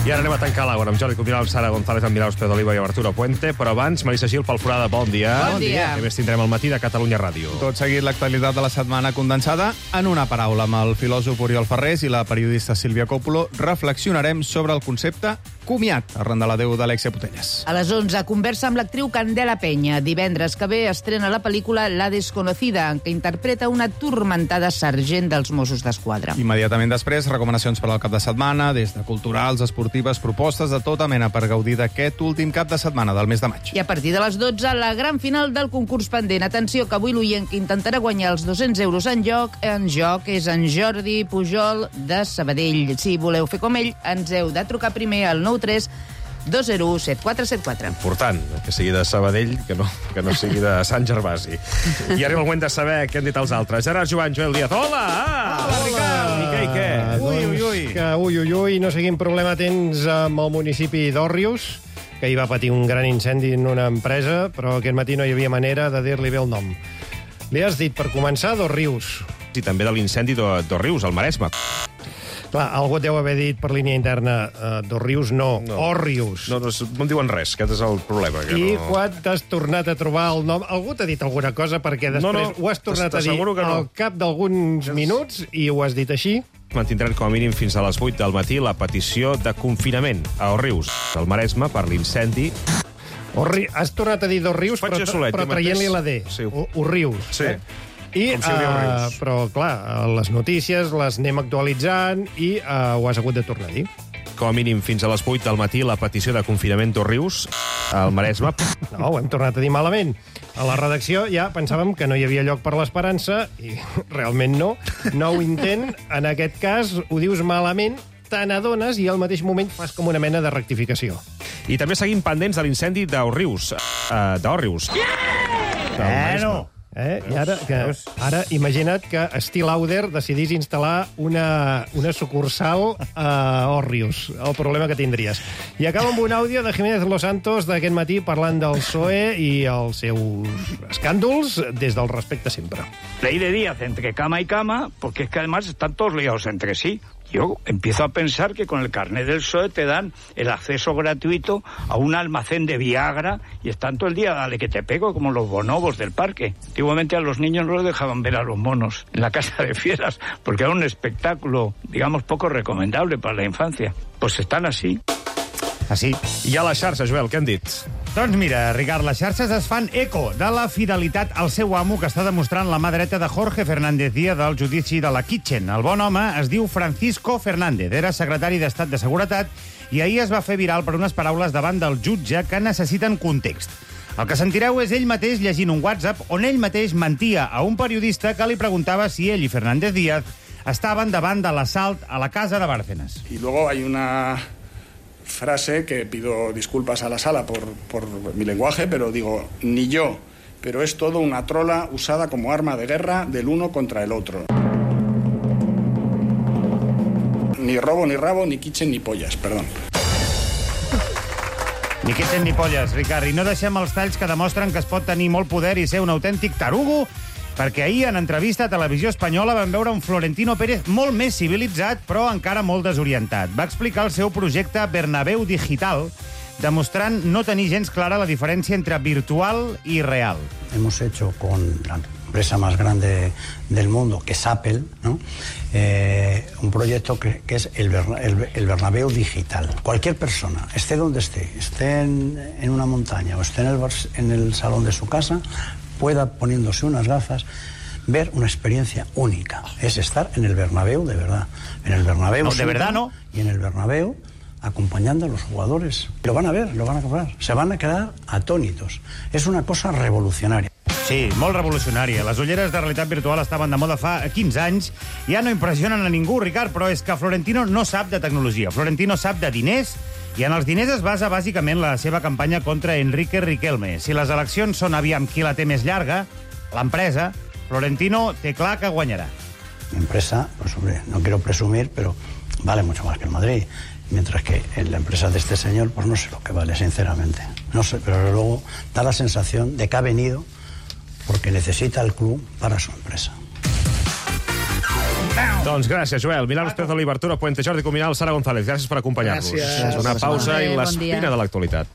I ara anem a tancar l'Àgora amb Jordi Cuminal, Sara González, amb Miraus, Pedro Oliva i Arturo Puente. Però abans, Marisa Gil, Pol Forada, bon dia. Bon dia. A més, tindrem el matí de Catalunya Ràdio. Tot seguit, l'actualitat de la setmana condensada en una paraula. Amb el filòsof Oriol Ferrés i la periodista Sílvia Coppola reflexionarem sobre el concepte comiat, arran de l'adeu d'Alexia Putellas. A les onze, conversa amb l'actriu Candela Peña. Divendres que ve estrena la pel·lícula La desconocida, en què interpreta una turmentada sergent dels Mossos d'Esquadra. Immediatament després, recomanacions per al cap de setmana, des de culturals, esportives, propostes de tota mena per gaudir d'aquest últim cap de setmana del mes de maig. I a partir de les dotze, la gran final del concurs pendent. Atenció, que avui l'oient que intentarà guanyar els dos-cents euros en joc, en joc és en Jordi Pujol de Sabadell. Si voleu fer com ell, ens heu de trucar primer al nou tres dos zero u set quatre set quatre. Important, que sigui de Sabadell, que no, que no sigui de Sant Gervasi. I arriba el moment de saber què han dit els altres. Gerard Joan, Joel Díaz. Hola! Hola, Ricard! I què, i què? Ui, ui, ui. Que, ui, ui, ui, no sé quin problema tens amb el municipi d'Òrrius, que hi va patir un gran incendi en una empresa, però aquest matí no hi havia manera de dir-li bé el nom. Li has dit, per començar, d'Òrrius. I també de l'incendi d'Òrrius, al Maresme. Clar, algú et deu haver dit per línia interna uh, d'Òrrius, no, no. Òrrius. No, no, no em diuen res, aquest és el problema. Que I no... quan t'has tornat a trobar el nom... Algú t'ha dit alguna cosa perquè després no, no, ho has tornat a dir no. al cap d'alguns minuts i ho has dit així? Mantindran com a mínim fins a les vuit del matí la petició de confinament a Òrrius, al Maresme, per l'incendi. Orri... Has tornat a dir d'Òrrius, però, solet, però traient-li la D. Sí. Òrrius. Sí. Eh? I, Com si uh, però, clar, les notícies les anem actualitzant i uh, ho has hagut de tornar a dir. Com a mínim fins a les vuit del matí la petició de confinament d'Òrrius al Maresme. No, ho hem tornat a dir malament. A la redacció ja pensàvem que no hi havia lloc per l'esperança i realment no. Nou intent, en aquest cas ho dius malament, te n'adones i al mateix moment fas com una mena de rectificació. I també seguim pendents de l'incendi d'Òrrius. Uh, d'Òrrius. Bueno... Eh? I ara, que, ara imagina't que Steel Lauder decidís instal·lar una, una sucursal a Òrrius, el problema que tindries. I acaba amb un àudio de Jiménez Los Santos d'aquest matí parlant del P S O E i els seus escàndols des del respecte sempre. Ley de Díaz entre cama y cama, porque es que además están todos liados entre sí. Yo empiezo a pensar que con el carnet del P S O E te dan el acceso gratuito a un almacén de Viagra y están todo el día, dale que te pego, como los bonobos del parque. Antiguamente a los niños no los dejaban ver a los monos en la casa de fieras, porque era un espectáculo, digamos, poco recomendable para la infancia. Pues están así. Així. I a la xarxa, Joel, què han dit? Doncs mira, Ricard, les xarxes es fan eco de la fidelitat al seu amo que està demostrant la mà dreta de Jorge Fernández Díaz del judici de la Kitchen. El bon home es diu Francisco Fernández, era secretari d'Estat de Seguretat i ahir es va fer viral per unes paraules davant del jutge que necessiten context. El que sentireu és ell mateix llegint un WhatsApp on ell mateix mentia a un periodista que li preguntava si ell i Fernández Díaz estaven davant de l'assalt a la casa de Bárcenas. Y luego hay una frase que pido disculpas a la sala por, por mi lenguaje, pero digo, ni yo, pero es todo una trola usada como arma de guerra del uno contra el otro. Ni robo, ni rabo, ni kitchen, ni pollas, perdón. Ni kitchen ni polles, Ricard. I no deixem els talls que demostren que es pot tenir molt poder i ser un autèntic tarugo, perquè ahir, en entrevista a Televisió Espanyola, vam veure un Florentino Pérez molt més civilitzat, però encara molt desorientat. Va explicar el seu projecte Bernabéu Digital, demostrant no tenir gens clara la diferència entre virtual i real. Hemos hecho con la empresa más grande del mundo, que es Apple, ¿no? eh, un proyecto que, que es el, Berna, el, el Bernabéu Digital. Cualquier persona, esté donde esté, esté en, en una montaña o esté en el, en el salón de su casa, pueda, poniéndose unas gafas, ver una experiencia única. Es estar en el Bernabéu de verdad. En el Bernabéu... No, de verdad no. Y en el Bernabéu acompañando a los jugadores. Lo van a ver, lo van a comprar. Se van a quedar atónitos. Es una cosa revolucionaria. Sí, molt revolucionària. Les ulleres de realitat virtual estaven de moda fa quinze anys. Ja no impressionen a ningú, Ricard, però és que Florentino no sap de tecnologia. Florentino sap de diners i en els diners es basa bàsicament la seva campanya contra Enrique Riquelme. Si les eleccions són aviam qui la té més llarga, l'empresa, Florentino té clar que guanyarà. La empresa, pues hombre, no quiero presumir, pero vale mucho más que el Madrid. Mientras que en la empresa de este señor, pues no sé lo que vale, sinceramente. No sé, pero luego da la sensación de que ha venido porque necesita el club para su empresa. Doncs gràcies, Joel. Milán López de l'Obertura, Puente Jordi Cuminal, Sara González. Gràcies per acompanyar-nos. Gràcies. Una pausa Bé, i bon l'espina dia. de l'actualitat.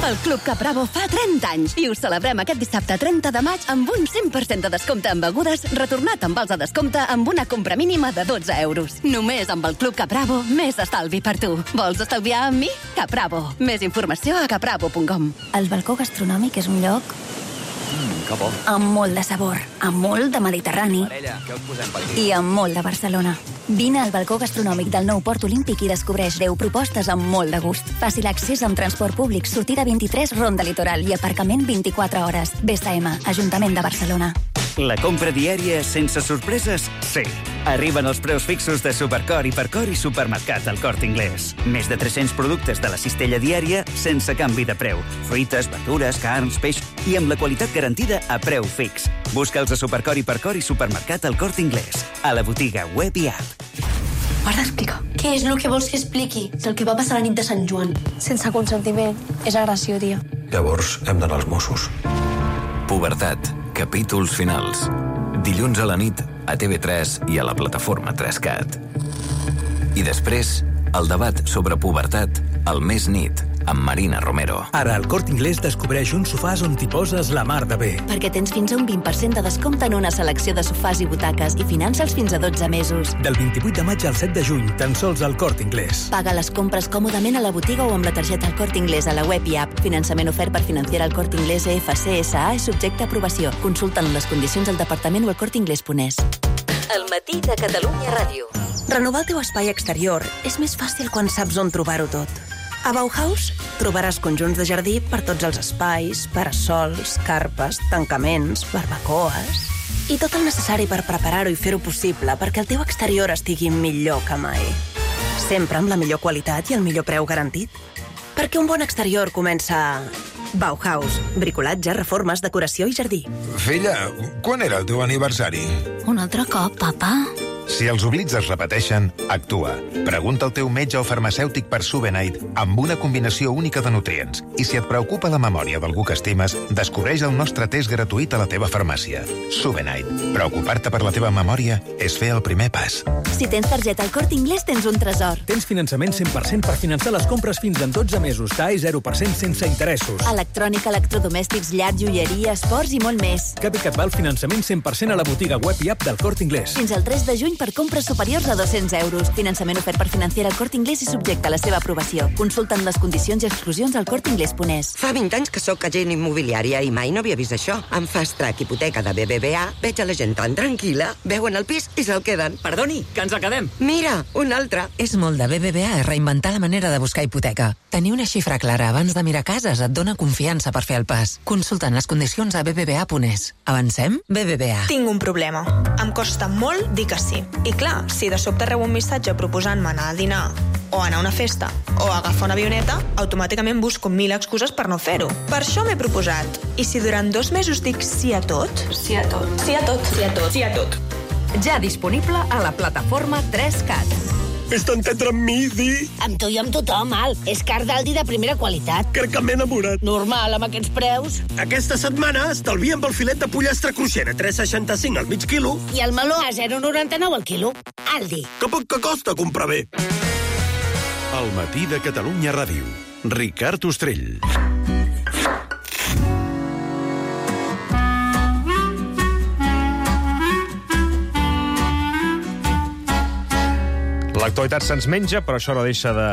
El Club Capravo fa trenta anys i ho celebrem aquest dissabte trenta de maig amb un cent per cent de descompte en begudes retornat amb vals de descompte amb una compra mínima de dotze euros. Només amb el Club Capravo, més estalvi per tu. Vols estalviar amb mi? Capravo. Més informació a capravo punt com. El balcó gastronòmic és un lloc Mm, que bo. amb molt de sabor, amb molt de Mediterrani Parella, què us posem per aquí? i amb molt de Barcelona. Vine al balcó gastronòmic del nou Port Olímpic i descobreix deu propostes amb molt de gust. Fàcil accés amb transport públic, sortida vint-i-tres, Ronda Litoral i aparcament vint-i-quatre hores. B S M, Ajuntament de Barcelona. La compra diària sense sorpreses? Sí. Arriben els preus fixos de Supercor, Hipercor i Supermercat al Corte Inglés. Més de tres-cents productes de la cistella diària sense canvi de preu. Fruites, verdures, carns, peix i amb la qualitat garantida a preu fix. Busca'ls a Supercor, Hipercor i Supermercat al Corte Inglés. A la botiga web i app. M'has d'explicar. Què és el que vols que expliqui? El que va passar la nit de Sant Joan. Sense consentiment. És agressió, tia. Llavors hem d'anar als Mossos. Pubertat. Capítols finals. Dilluns a la nit a T V tres i a la plataforma tres cat. I després, el debat sobre pubertat al Més Nit, amb Marina Romero. Ara al Corte Inglés descobreix uns sofàs on t'hi poses la mar de bé. Perquè tens fins a un vint per cent de descompte en una selecció de sofàs i butaques i finança'ls fins a dotze mesos. Del vint-i-vuit de maig al set de juny, tan sols al Corte Inglés. Paga les compres còmodament a la botiga o amb la targeta al Corte Inglés a la web i app. Finançament ofert per Financiera al Corte Inglés E F C S A i subjecte a aprovació. Consulten les condicions al departament o al corte inglés punt es. El matí de Catalunya Ràdio. Renovar el teu espai exterior és més fàcil quan saps on trobar-ho tot. A Bauhaus trobaràs conjunts de jardí per tots els espais, parasols, carpes, tancaments, barbacoes i tot el necessari per preparar-ho i fer-ho possible perquè el teu exterior estigui millor que mai. Sempre amb la millor qualitat i el millor preu garantit. Perquè un bon exterior comença a Bauhaus. Bricolatge, reformes, decoració i jardí. Filla, quan era el teu aniversari? Un altre cop, papa? Si els oblits es repeteixen, actua. Pregunta al teu metge o farmacèutic per Subenite amb una combinació única de nutrients. I si et preocupa la memòria d'algú que estimes, descobreix el nostre test gratuït a la teva farmàcia. Subenite. Preocupar-te per la teva memòria és fer el primer pas. Si tens targeta al Corte Inglés, tens un tresor. Tens finançament cent per cent per finançar les compres fins en dotze mesos. T A E zero per cent sense interessos. Electrònica, electrodomèstics, llar, joieria, esports i molt més. Cap i cap va el finançament cent per cent a la botiga web i app del Corte Inglés. Fins al tres de juny per compres superiors a dos-cents euros. Finançament ofert per Financiera al Corte Inglés i subjecte a la seva aprovació. Consulten les condicions i exclusions al corte inglés punt es. Fa vint anys que sóc agent immobiliària i mai no havia vist això. Amb Fast Track Hipoteca de B B V A veig a la gent tan tranquil·la, veuen el pis i se'l queden. Perdoni, que ens el quedem. Mira, un altre. És molt de B B V A reinventar la manera de buscar hipoteca. Tenir una xifra clara abans de mirar cases et dona confiança per fer el pas. Consulten les condicions a b b v a punt es. Avancem? B B V A. Tinc un problema. Em costa molt dir que sí. I clar, si de sobte rebo un missatge proposant-me anar a dinar o anar a una festa o agafar una avioneta, automàticament busco mil excuses per no fer-ho. Per això m'he proposat. I si durant dos mesos dic sí a tot? Sí a tot. Sí a tot. Sí a tot. Sí a tot. Ja disponible a la plataforma tres cat. Vés d'entendre amb mi, Di? Amb tu i amb tothom, Al. És car d'Aldi de primera qualitat. Crec que m'he enamorat. Normal, amb aquests preus. Aquesta setmana estalviem pel filet de pollastre cruixent a tres coma seixanta-cinc al mig quilo. I el meló a zero coma noranta-nou al quilo. Aldi. Que poc que costa comprar bé. El matí de Catalunya Ràdio. Ricard Ostrell. L'actualitat se'ns menja, però això no deixa de,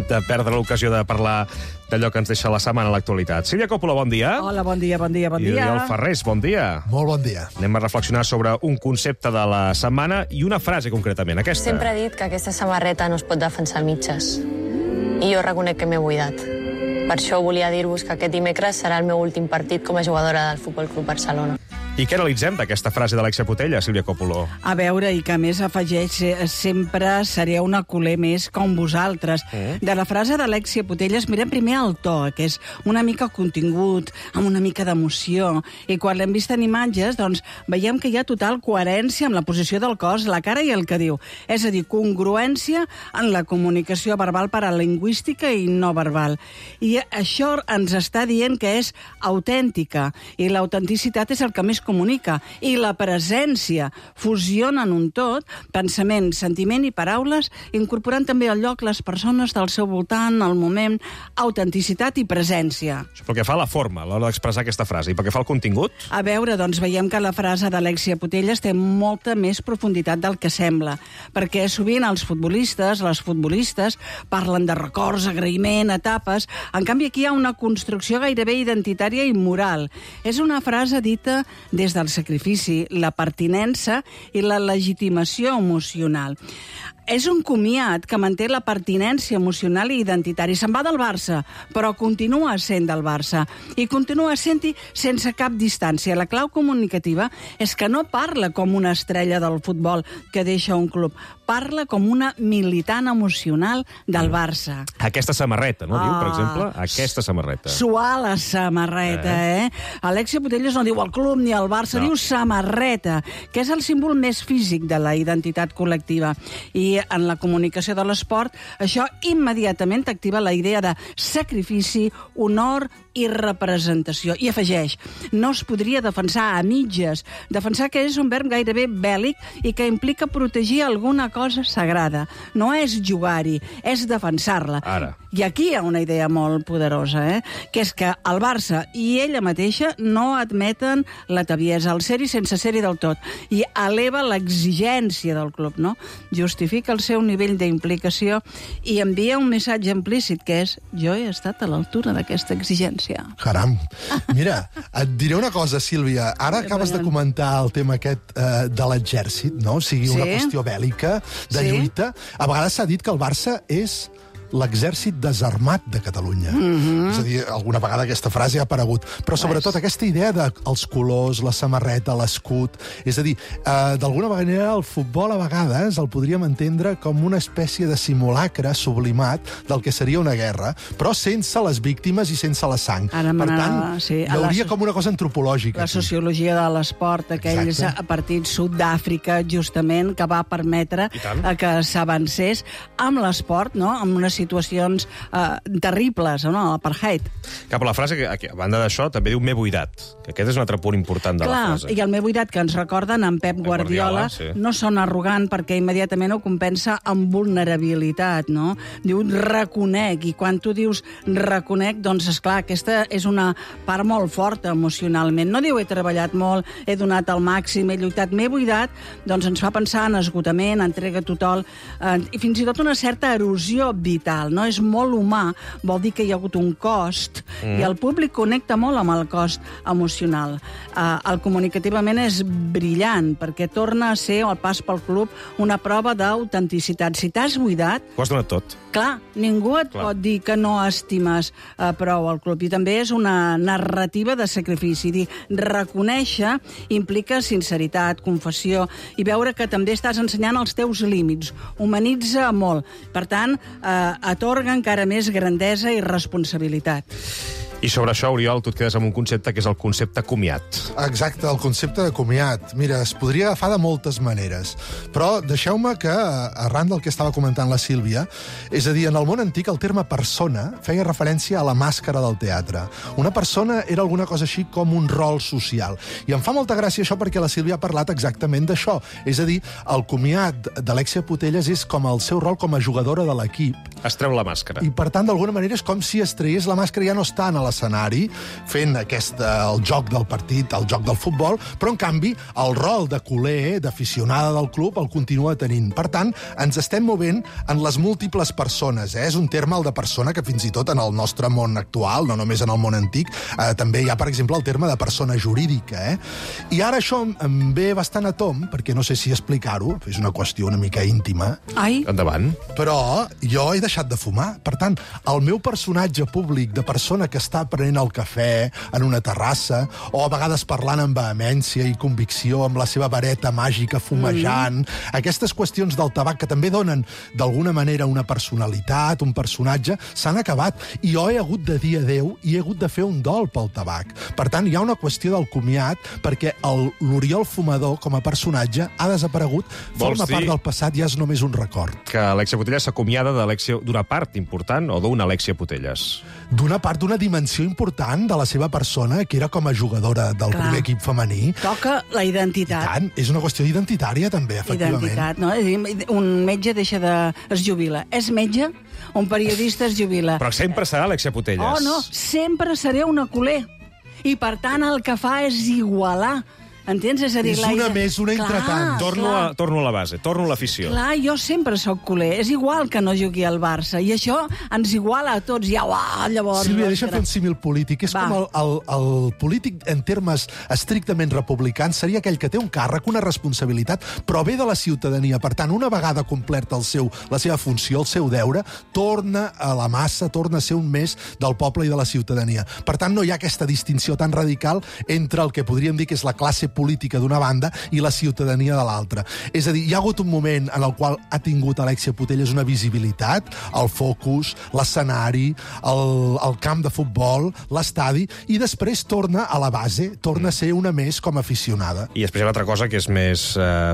de perdre l'ocasió de parlar d'allò que ens deixa la setmana a l'actualitat. Sílvia Coppola, bon dia. Hola, bon dia, bon dia, bon I dia. Oriol Ferrés, bon dia. Molt bon dia. Anem a reflexionar sobre un concepte de la setmana i una frase concretament, aquesta. Sempre he dit que aquesta samarreta no es pot defensar a mitges. I jo reconec que m'he buidat. Per això volia dir-vos que aquest dimecres serà el meu últim partit com a jugadora del Futbol Club Barcelona. I què analitzem d'aquesta frase d'Alexia Putella, Sílvia Coppola? A veure, i que a més afegeix eh, sempre seré una culer més com vosaltres. Mm. De la frase d'Alexia Putella mirem primer el to, que és una mica contingut, amb una mica d'emoció. I quan l'hem vist en imatges, doncs veiem que hi ha total coherència amb la posició del cos, la cara i el que diu. És a dir, congruència en la comunicació verbal paralingüística i no verbal. I això ens està dient que és autèntica. I l'autenticitat és el que més comunica, i la presència fusiona en un tot, pensament, sentiment i paraules, incorporant també al lloc les persones del seu voltant, el moment, autenticitat i presència. Això pel que fa a la forma, a l'hora d'expressar aquesta frase. I pel que fa al contingut? A veure, doncs veiem que la frase d'Alexia Putelles té molta més profunditat del que sembla, perquè sovint els futbolistes, les futbolistes, parlen de records, agraïment, etapes. En canvi, aquí hi ha una construcció gairebé identitària i moral. És una frase dita des del sacrifici, la pertinença i la legitimació emocional. és un comiat que manté la pertinència emocional i identitari. Se'n va del Barça, però continua sent del Barça. I continua sent-hi sense cap distància. La clau comunicativa és que no parla com una estrella del futbol que deixa un club. Parla com una militant emocional del Barça. Aquesta samarreta, no? Ah, Diu, per exemple, aquesta samarreta. Suar la samarreta, eh? eh? Alexia Putellas no diu el club ni el Barça, no. Diu samarreta, que és el símbol més físic de la identitat col·lectiva. I en la comunicació de l'esport, això immediatament t'activa la idea de sacrifici, honor i representació. I afegeix, no es podria defensar a mitges. Defensar que és un verb gairebé bèl·lic i que implica protegir alguna cosa sagrada. No és jugar-hi, és defensar-la. Ara. I aquí hi ha una idea molt poderosa, eh? Que és que el Barça i ella mateixa no admeten l'ataviesa, el ser-hi sense ser-hi del tot, i eleva l'exigència del club, no? Justifica el seu nivell d'implicació i envia un missatge implícit, que és jo he estat a l'altura d'aquesta exigència. Caram. Mira, et diré una cosa, Sílvia. Ara acabes de comentar el tema aquest eh, de l'exèrcit, no? O sigui, una Sí. qüestió bèl·lica, de Sí. lluita. A vegades s'ha dit que el Barça és l'exèrcit desarmat de Catalunya. Mhm. És a dir, alguna vegada aquesta frase ha aparegut. Però sobretot aquesta idea dels colors, la samarreta, l'escut... És a dir, eh, d'alguna manera el futbol a vegades el podríem entendre com una espècie de simulacre sublimat del que seria una guerra, però sense les víctimes i sense la sang. Ara per m'anava- tant, sí, hi a la hauria so- com una cosa antropològica. La aquí. sociologia de l'esport, aquells Exacte. partits Sud-àfrica, justament, que va permetre eh, que s'avancés amb l'esport, no?, amb unes situacions eh, terribles, no?, l'apartheid. Cap a la frase, que, que a banda d'això, també diu m'he buidat, que aquest és un altre punt important de Clar, la frase. i el meu buidat que ens recorden en Pep Guardiola, Guardiola, sí. no sona arrogant perquè immediatament ho compensa amb vulnerabilitat, no? Diu reconec, i quan tu dius reconec, doncs, esclar, aquesta és una part molt forta emocionalment. No diu he treballat molt, he donat el màxim, he lluitat, m'he buidat, doncs ens fa pensar en esgotament, entrega total, eh, i fins i tot una certa erosió vital, no? És molt humà, vol dir que hi ha hagut un cost, Mm. i el públic connecta molt amb el cost emocional. Uh, el comunicativament és brillant, perquè torna a ser, el pas pel club, una prova d'autenticitat. Si t'has buidat, Ho has donat tot. clar, ningú et Clar. pot dir que no estimes uh, prou el club. I també és una narrativa de sacrifici. Dir, reconèixer implica sinceritat, confessió, i veure que també estàs ensenyant els teus límits. Humanitza molt. Per tant, uh, atorga encara més grandesa i responsabilitat. I sobre això, Oriol, tu et quedes amb un concepte que és el concepte comiat. Exacte, el concepte de comiat. Mira, es podria agafar de moltes maneres, però deixeu-me que, arran del que estava comentant la Sílvia, és a dir, en el món antic el terme persona feia referència a la màscara del teatre. Una persona era alguna cosa així com un rol social. I em fa molta gràcia això perquè la Sílvia ha parlat exactament d'això. És a dir, el comiat d'Alexia Putellas és com el seu rol com a jugadora de l'equip. Es treu la màscara. I, per tant, d'alguna manera és com si es traiés la màscara, ja no està en l'escenari fent aquest, el joc del partit, el joc del futbol, però, en canvi, el rol de culer, d'aficionada del club, el continua tenint. Per tant, ens estem movent en les múltiples persones. Eh? És un terme, el de persona, que fins i tot en el nostre món actual, no només en el món antic, eh, també hi ha, per exemple, el terme de persona jurídica. Eh? I ara això em ve bastant a tom, perquè no sé si explicar-ho, és una qüestió una mica íntima. Ai. Endavant. Però jo he deixat de fumar. Per tant, el meu personatge públic de persona que està prenent el cafè en una terrassa, o a vegades parlant amb vehemència i convicció, amb la seva vareta màgica fumejant, mm. aquestes qüestions del tabac que també donen d'alguna manera una personalitat, un personatge, s'han acabat. I jo he hagut de dir adeu i he hagut de fer un dol pel tabac. Per tant, hi ha una qüestió del comiat perquè el- l'Oriol fumador, com a personatge, ha desaparegut, Vols forma dir- part del passat, ja és només un record. Que Alexia Putellas s'acomiada d'Alexia- d'una part important o d'una Alexia Putellas? D'una part d'una dimensió important de la seva persona, que era com a jugadora del Clar. primer equip femení. Toca la identitat. I tant, és una qüestió identitària, també, efectivament. Identitat, no? És a dir, un metge deixa de... es jubila. És metge? Un periodista es jubila. Però sempre serà Alexia Putellas. Oh, no, sempre seré una culer. I, per tant, el que fa és igualar Entens? És a dir, És la... una més, una entretant. Torno a, torno a la base, torno a l'afició. Clar, jo sempre sóc culer. És igual que no jugui al Barça. I això ens iguala a tots. Ja, uah, llavors... Sílvia, deixa'm fer un símil polític. És Va. com el, el, el polític, en termes estrictament republicans, seria aquell que té un càrrec, una responsabilitat, però ve de la ciutadania. Per tant, una vegada completa el seu, la seva funció, el seu deure, torna a la massa, torna a ser un més del poble i de la ciutadania. Per tant, no hi ha aquesta distinció tan radical entre el que podríem dir que és la classe política d'una banda i la ciutadania de l'altra. És a dir, hi ha hagut un moment en el qual ha tingut Alexia Putellas una visibilitat, el focus, l'escenari, el, el camp de futbol, l'estadi, i després torna a la base, torna a ser una més com a aficionada. I després hi ha l'altra cosa que és més eh,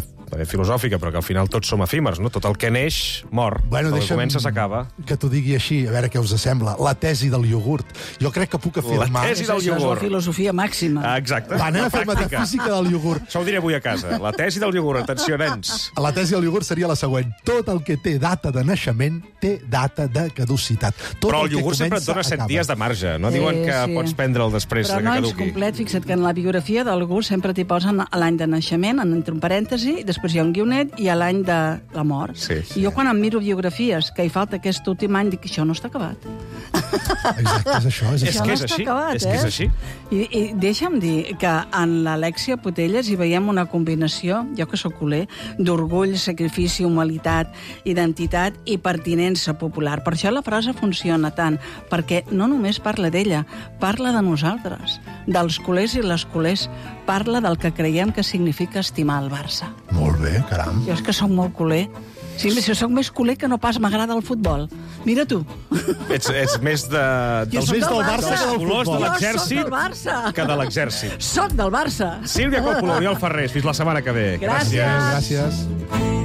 filosòfica, però que al final tots som efímers, no? Tot el que neix, mor. Bueno, el que deixa'm comença, s'acaba. que t'ho digui així, a veure què us sembla. La tesi del iogurt. Jo crec que puc afirmar... La tesi del Això és la filosofia màxima. Ah, exacte. Va, anem La a fer pràctica. metafísica del iogurt. Això ho diré avui a casa. La tesi del iogurt. Atenció, nens. La tesi del iogurt seria la següent. Tot el que té data de naixement té data de caducitat. Tot Però el que iogurt sempre et comença, dona set acaba. dies de marge. No diuen Sí, que sí. pots prendre'l després Però de que no és caduqui. complet. Fixa't que en la biografia d'algú sempre t'hi posen l'any de naixement, entre un parèntesi, després hi ha un guionet i a l'any de la mort. Sí, sí. I jo quan em miro biografies que hi falta aquest últim any, dic que això no està acabat. Exacte, és això. És, És Això que no és està així, acabat, és que és eh? així. I, I deixa'm dir que en l'Alexia Putellas hi veiem una combinació, jo que sóc culer, d'orgull, sacrifici, humilitat, identitat i pertinença popular. Per això la frase funciona tant, perquè no només parla d'ella, parla de nosaltres, dels culers i les culers, parla del que creiem que significa estimar el Barça. Molt bé, caram. Jo és que sóc molt culer. Sí, si sóc més culer que no pas m'agrada el futbol. Mira tu. Ets, ets més de... Jo dels, soc més del del Barça. dels colors de Jo soc l'exèrcit del Barça. que de l'exèrcit. Soc del Barça. Sílvia Coppola, Oriol Ferrés, fins la setmana que ve. Gràcies. Gràcies.